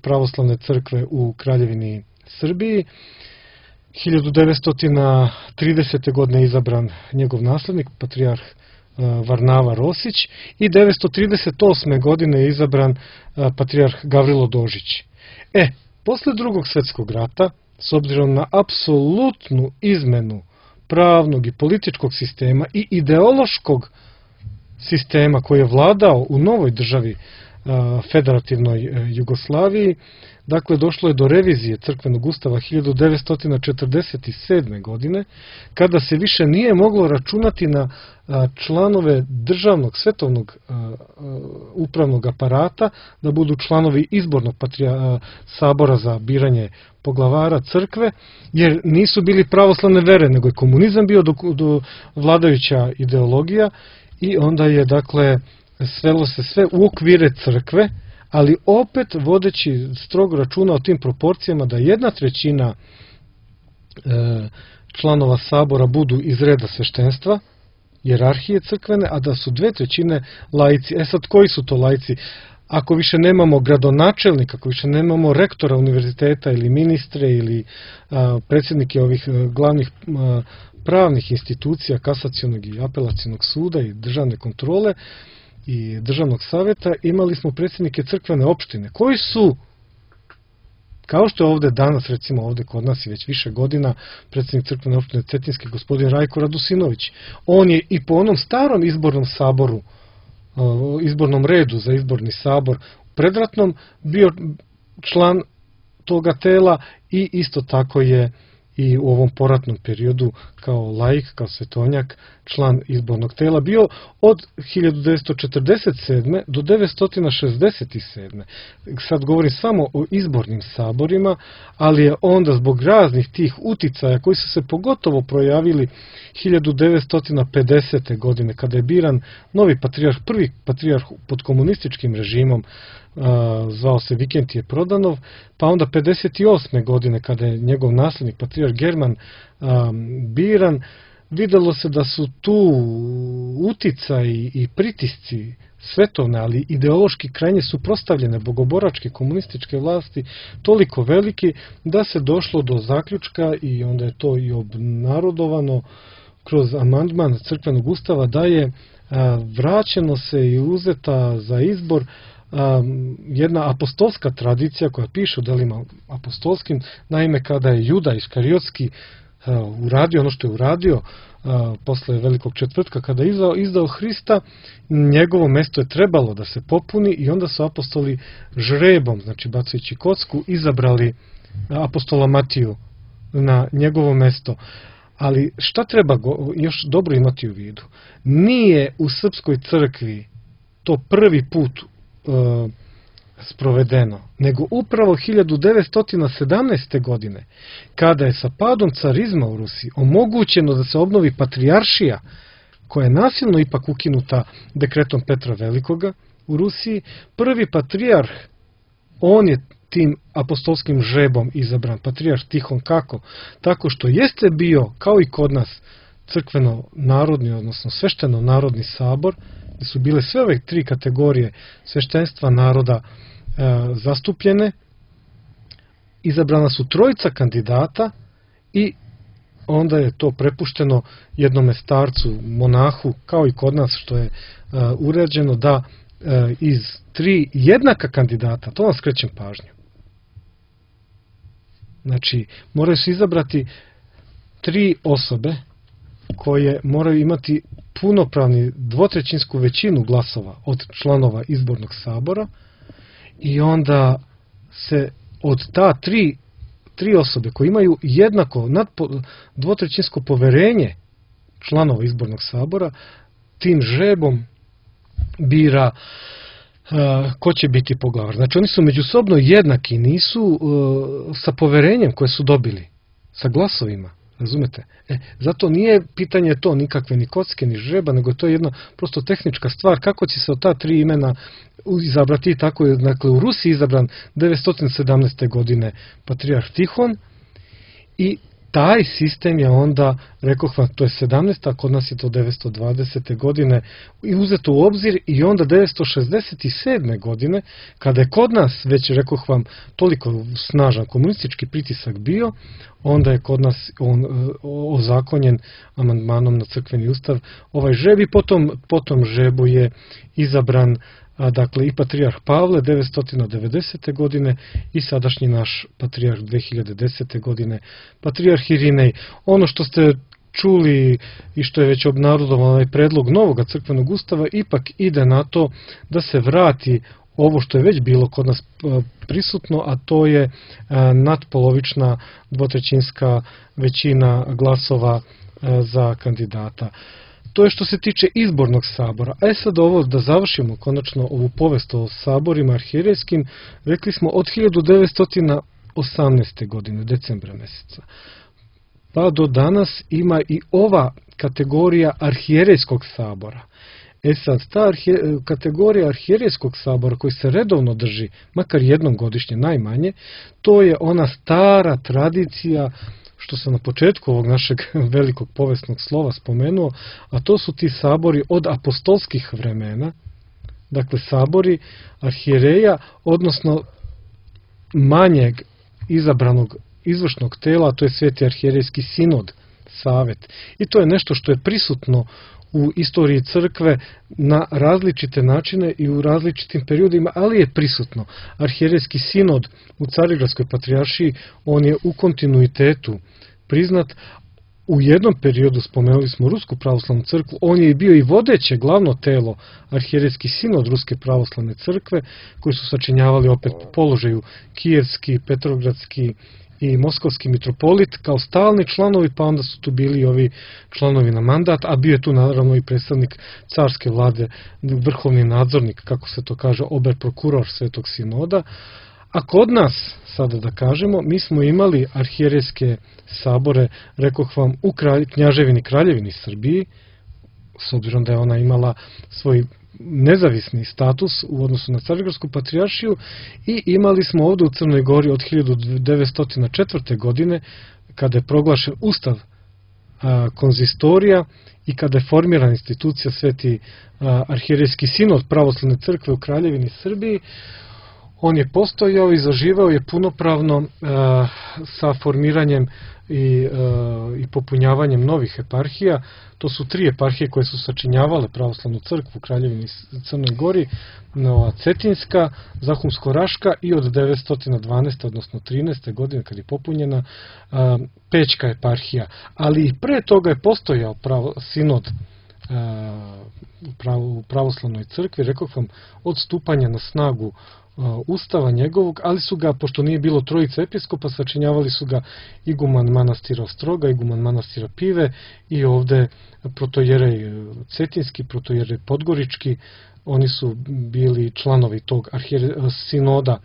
pravoslavne crkve u Kraljevini Srbiji. 1930. godine je izabran njegov naslednik, patrijarh Varnava Rosić, i 1938. godine je izabran patrijarh Gavrilo Dožić. Posle Drugog svjetskog rata, s obzirom na apsolutnu izmenu pravnog i političkog sistema i ideološkog sistema koji je vladao u novoj državi, federativnoj Jugoslaviji, dakle, došlo je do revizije crkvenog ustava 1947. godine, kada se više nije moglo računati na članove državnog svetovnog upravnog aparata da budu članovi izbornog sabora za biranje poglavara crkve, jer nisu bili pravoslavne vere, nego je komunizam bio do vladajuća ideologija, i onda je, dakle, svelo se sve u okvire crkve, ali opet vodeći strogo računa o tim proporcijama da 1/3 članova sabora budu iz reda sveštenstva, jerarhije crkvene, a da su 2/3 laici. Sad, koji su to laici? Ako više nemamo gradonačelnika, ako više nemamo rektora univerziteta ili ministre ili predsjednike ovih glavnih pravnih institucija, kasacionog i apelacionog suda i državne kontrole i državnog saveta, imali smo predsjednike crkvene opštine, koji su, kao što je ovde danas, recimo ovde kod nas i već više godina, predsjednik crkvene opštine Cetinjske, gospodin Rajko Radusinović. On je i po onom starom izbornom saboru, izbornom redu za izborni sabor predratnom bio član toga tela, i isto tako je i u ovom poratnom periodu kao laik, kao svetonjak, član izbornog tela bio od 1947. do 1967. Sad govorim samo o izbornim saborima, ali je onda zbog raznih tih uticaja koji su se pogotovo projavili 1950. godine, kada je biran novi patrijarh, prvi patrijarh pod komunističkim režimom, zvao se Vikentije Prodanov, pa onda 58. godine, kada je njegov naslednik, patrijarh German, biran, videlo se da su tu uticaj i pritisci svetovne, ali ideološki krajnje suprotstavljene bogoboračke komunističke vlasti toliko veliki da se došlo do zaključka, i onda je to i obnarodovano kroz amandman crkvenog ustava, da je vraćeno se i uzeta za izbor jedna apostolska tradicija koja piše u delima apostolskim. Naime, kada je Juda Iskariotski uradio ono što je uradio posle Velikog četvrtka, kada je izdao Hrista, njegovo mesto je trebalo da se popuni i onda su apostoli žrebom, znači bacajući kocku, izabrali apostola Matiju na njegovo mesto. Ali šta treba još dobro imati u vidu? Nije u srpskoj crkvi to prvi put sprovedeno, nego upravo 1917. godine, kada je sa padom carizma u Rusiji omogućeno da se obnovi patrijaršija, koja je nasilno ipak ukinuta dekretom Petra Velikoga u Rusiji. Prvi patrijarh, on je tim apostolskim žrebom izabran, patrijarh Tihon. Kako? Tako što jeste bio, kao i kod nas, crkveno-narodni, odnosno svešteno-narodni sabor, gde su bile sve ove tri kategorije sveštenstva naroda zastupljene. Izabrana su trojica kandidata i onda je to prepušteno jednome starcu, monahu, kao i kod nas što je uređeno, da iz tri jednaka kandidata, to vam skrećem pažnju. Znači, moraju se izabrati tri osobe koje moraju imati punopravni dvotrećinsku većinu glasova od članova izbornog sabora, i onda se od ta tri osobe koje imaju jednako dvotrećinsko poverenje članova izbornog sabora, tim žrebom bira ko će biti poglavar. Znači, oni su međusobno jednaki, nisu sa poverenjem koje su dobili, sa glasovima, razumete? Zato nije pitanje to nikakve ni kocke, ni žreba, nego to je jedna prosto tehnička stvar, kako će se od ta tri imena izabrati. Tako je, dakle, u Rusiji izabran 917. godine patrijarh Tihon, i taj sistem je onda, rekoh vam, to je 17. a kod nas je to 920. godine, i uzeto u obzir, i onda 967. godine, kada je kod nas, već rekoh vam, toliko snažan komunistički pritisak bio, onda je kod nas ozakonjen amandmanom na crkveni ustav ovaj žreb, i potom žrebu je izabran dakle i patrijarh Pavle 990. godine i sadašnji naš patrijarh 2010. godine, patrijarh Irinej. Ono što ste čuli i što je već obnarodovan ovaj predlog novoga crkvenog ustava, ipak ide na to da se vrati ovo što je već bilo kod nas prisutno, a to je nadpolovična dvotrećinska većina glasova za kandidata. To je što se tiče izbornog sabora. A sad ovo, da završimo konačno ovu povest o saborima arhijerejskim, rekli smo od 1918. godine, decembra meseca, pa do danas ima i ova kategorija arhijerejskog sabora. Sad, ta kategorija arhijerejskog sabora koji se redovno drži, makar jednom godišnje najmanje, to je ona stara tradicija što sam na početku ovog našeg velikog povesnog slova spomenuo, a to su ti sabori od apostolskih vremena, dakle sabori arhijereja, odnosno manjeg izabranog izvršnog tela, to je Sveti arhijerejski sinod, savet. I to je nešto što je prisutno u istoriji crkve na različite načine i u različitim periodima, ali je prisutno. Arhijerejski sinod u Carigradskoj patrijaršiji, on je u kontinuitetu priznat. U jednom periodu, spomenuli smo Rusku pravoslavnu crkvu, on je bio i vodeće glavno telo, arhijerejski sinod Ruske pravoslavne crkve, koji su sačinjavali opet po položaju kijevski, petrogradski i moskovski mitropolit kao stalni članovi, pa onda su tu bili ovi članovi na mandat, a bio je tu naravno i predstavnik carske vlade, vrhovni nadzornik, kako se to kaže, oberprokuror Svetog sinoda. A kod nas, sada da kažemo, mi smo imali arhijerejske sabore, rekoh vam, u Knjaževini Kraljevini Srbiji, s obzirom da je ona imala svoj nezavisni status u odnosu na Carigradsku patrijaršiju, i imali smo ovdje u Crnoj Gori od 1904. godine, kada je proglašen ustav konzistorija i kada je formirana institucija Sveti arhijerejski sinod pravoslavne crkve u Kraljevini Srbiji, on je postojao i zaživao je punopravno sa formiranjem i popunjavanjem novih eparhija. To su 3 eparhije koje su sačinjavale pravoslavnu crkvu u Kraljevini Crnoj Gori, Nova Cetinjska, Zahumsko-Raška i od 912. odnosno 13. godine kad je popunjena Pećka eparhija. Ali i pre toga je postojao sinod u pravoslavnoj crkvi, rekao vam, od stupanja na snagu Ustava njegovog, ali su ga, pošto nije bilo 3 episkopa, sačinjavali su ga iguman manastira Ostroga, iguman manastira Pive i ovde protojerej Cetinski, protojerej Podgorički. Oni su bili članovi tog sinoda,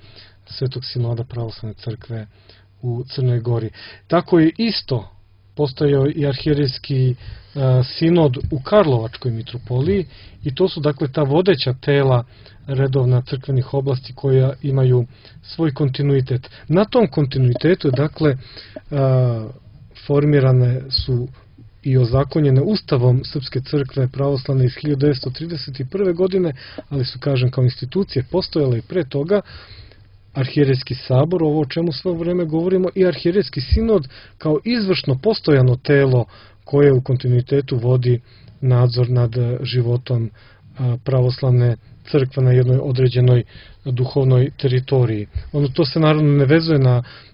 Svetog sinoda pravoslavne crkve u Crnoj Gori. Tako je isto postojao i arhijerejski sinod u Karlovačkoj mitropoliji i to su dakle ta vodeća tela redovna crkvenih oblasti koja imaju svoj kontinuitet. Na tom kontinuitetu dakle formirane su i ozakonjene Ustavom Srpske crkve pravoslavne iz 1931. godine, ali su, kažem, kao institucije postojale i pre toga Arhijerejski sabor, ovo o čemu sve vreme govorimo, i Arhijerejski sinod kao izvršno postojano telo koje u kontinuitetu vodi nadzor nad životom pravoslavne crkve na jednoj određenoj duhovnoj teritoriji. To se naravno ne vezuje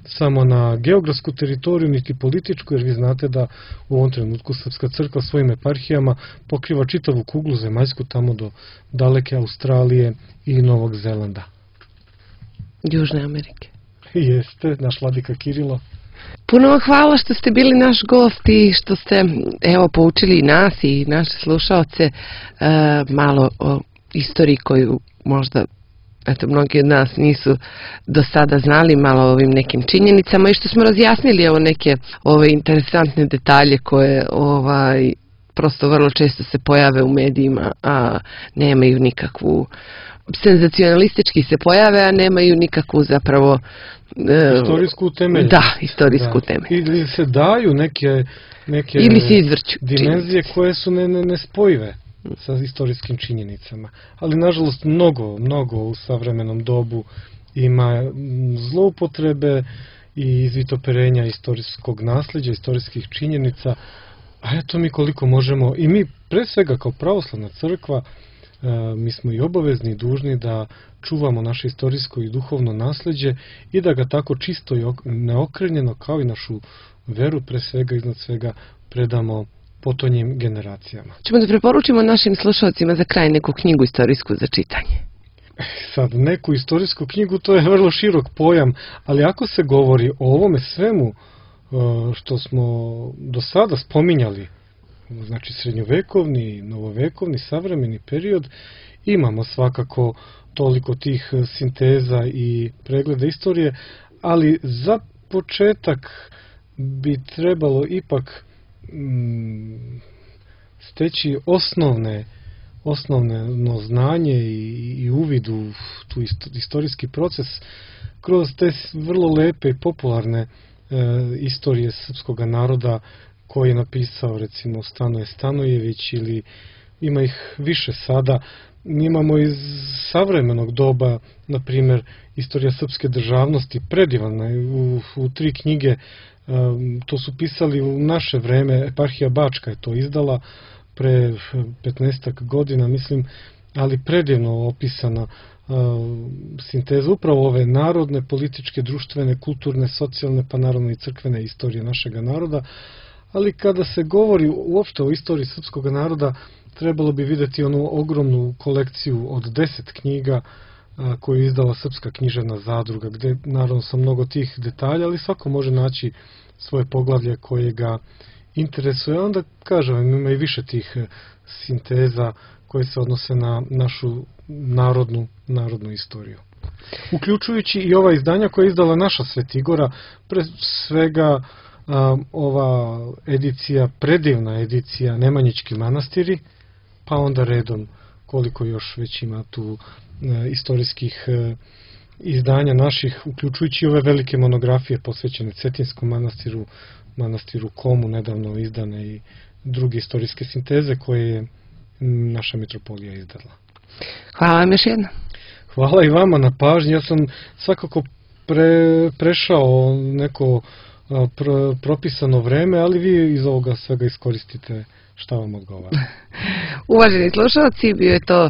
samo na geografsku teritoriju, niti političku, jer vi znate da u ovom trenutku Srpska crkva svojim eparhijama pokriva čitavu kuglu zemaljsku tamo do daleke Australije i Novog Zelanda. Južne Amerike. Jeste, naš vladika Kirilo. Puno vam hvala što ste bili naš gost i što ste poučili nas i naše slušaoce malo o istoriji koju možda mnogi od nas nisu do sada znali, malo o ovim nekim činjenicama i što smo razjasnili neke ove interesantne detalje koje prosto vrlo često se pojave u medijima, a nemaju nikakvu, senzacionalistički se pojave, a nemaju nikakvu zapravo istorijsku temelju. Da, istorijsku temelju. Ili se daju neke ili se izvrću dimenzije koje su nespojive sa istorijskim činjenicama. Ali, nažalost, mnogo u savremenom dobu ima zloupotrebe i izvitoperenja istorijskog nasleđa, istorijskih činjenica, a eto mi koliko možemo, i mi pre svega kao pravoslavna crkva, mi smo i obavezni i dužni da čuvamo naše istorijsko i duhovno nasleđe i da ga tako čisto i neokrenjeno kao i našu veru pre svega iznad svega predamo potonjim generacijama. Ćemo da preporučimo našim slušalcima za kraj neku knjigu istorijsku za čitanje. Sad, neku istorijsku knjigu, to je vrlo širok pojam, ali ako se govori o ovome svemu što smo do sada spominjali, znači srednjovekovni, novovekovni, savremeni period, imamo svakako toliko tih sinteza i pregleda istorije, ali za početak bi trebalo ipak steći osnovno znanje i uvid u tu istorijski proces kroz te vrlo lepe i popularne istorije srpskog naroda koji je napisao recimo Stanoje Stanojević, ili ima ih više sada. Mi imamo iz savremenog doba, na primjer, Istorija srpske državnosti, predivana u 3 knjige. To su pisali u naše vreme, eparhija Bačka je to izdala pre 15 godina, mislim, ali predivno opisana sinteza upravo ove narodne, političke, društvene, kulturne, socijalne, pa naravno i crkvene istorije našega naroda. Ali kada se govori uopšte o istoriji srpskog naroda, trebalo bi videti onu ogromnu kolekciju od 10 knjiga koju je izdala Srpska književna zadruga, gde naravno sa mnogo tih detalja, ali svako može naći svoje poglavlje koje ga interesuje. Onda, kažem, ima i više tih sinteza koje se odnose na našu narodnu istoriju. Uključujući i ova izdanja koja je izdala naša Svetigora, pre svega ova edicija, predivna edicija Nemanjićki manastiri, pa onda redom koliko još već ima tu istorijskih izdanja naših, uključujući ove velike monografije posvećene Cetinskom manastiru, manastiru Komu, nedavno izdane i druge istorijske sinteze koje je naša mitropolija izdala. Hvala vam još jedno. Hvala i vama na pažnji. Ja sam svakako prešao neko propisano vreme, ali vi iz ovoga svega iskoristite šta vam odgovara. Uvaženi slušalci, bio je to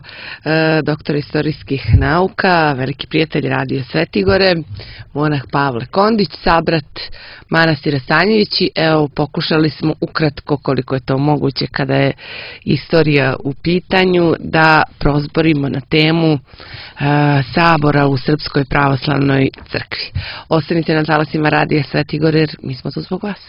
doktor istorijskih nauka, veliki prijatelj Radio Svetigore, monah Pavle Kondić, sabrat manastira Stanjevići. Evo, pokušali smo ukratko, koliko je to moguće kada je istorija u pitanju, da prozborimo na temu sabora u Srpskoj pravoslavnoj crkvi. Ostanite na talasima Radio Svetigore jer mi smo tu zbog vas.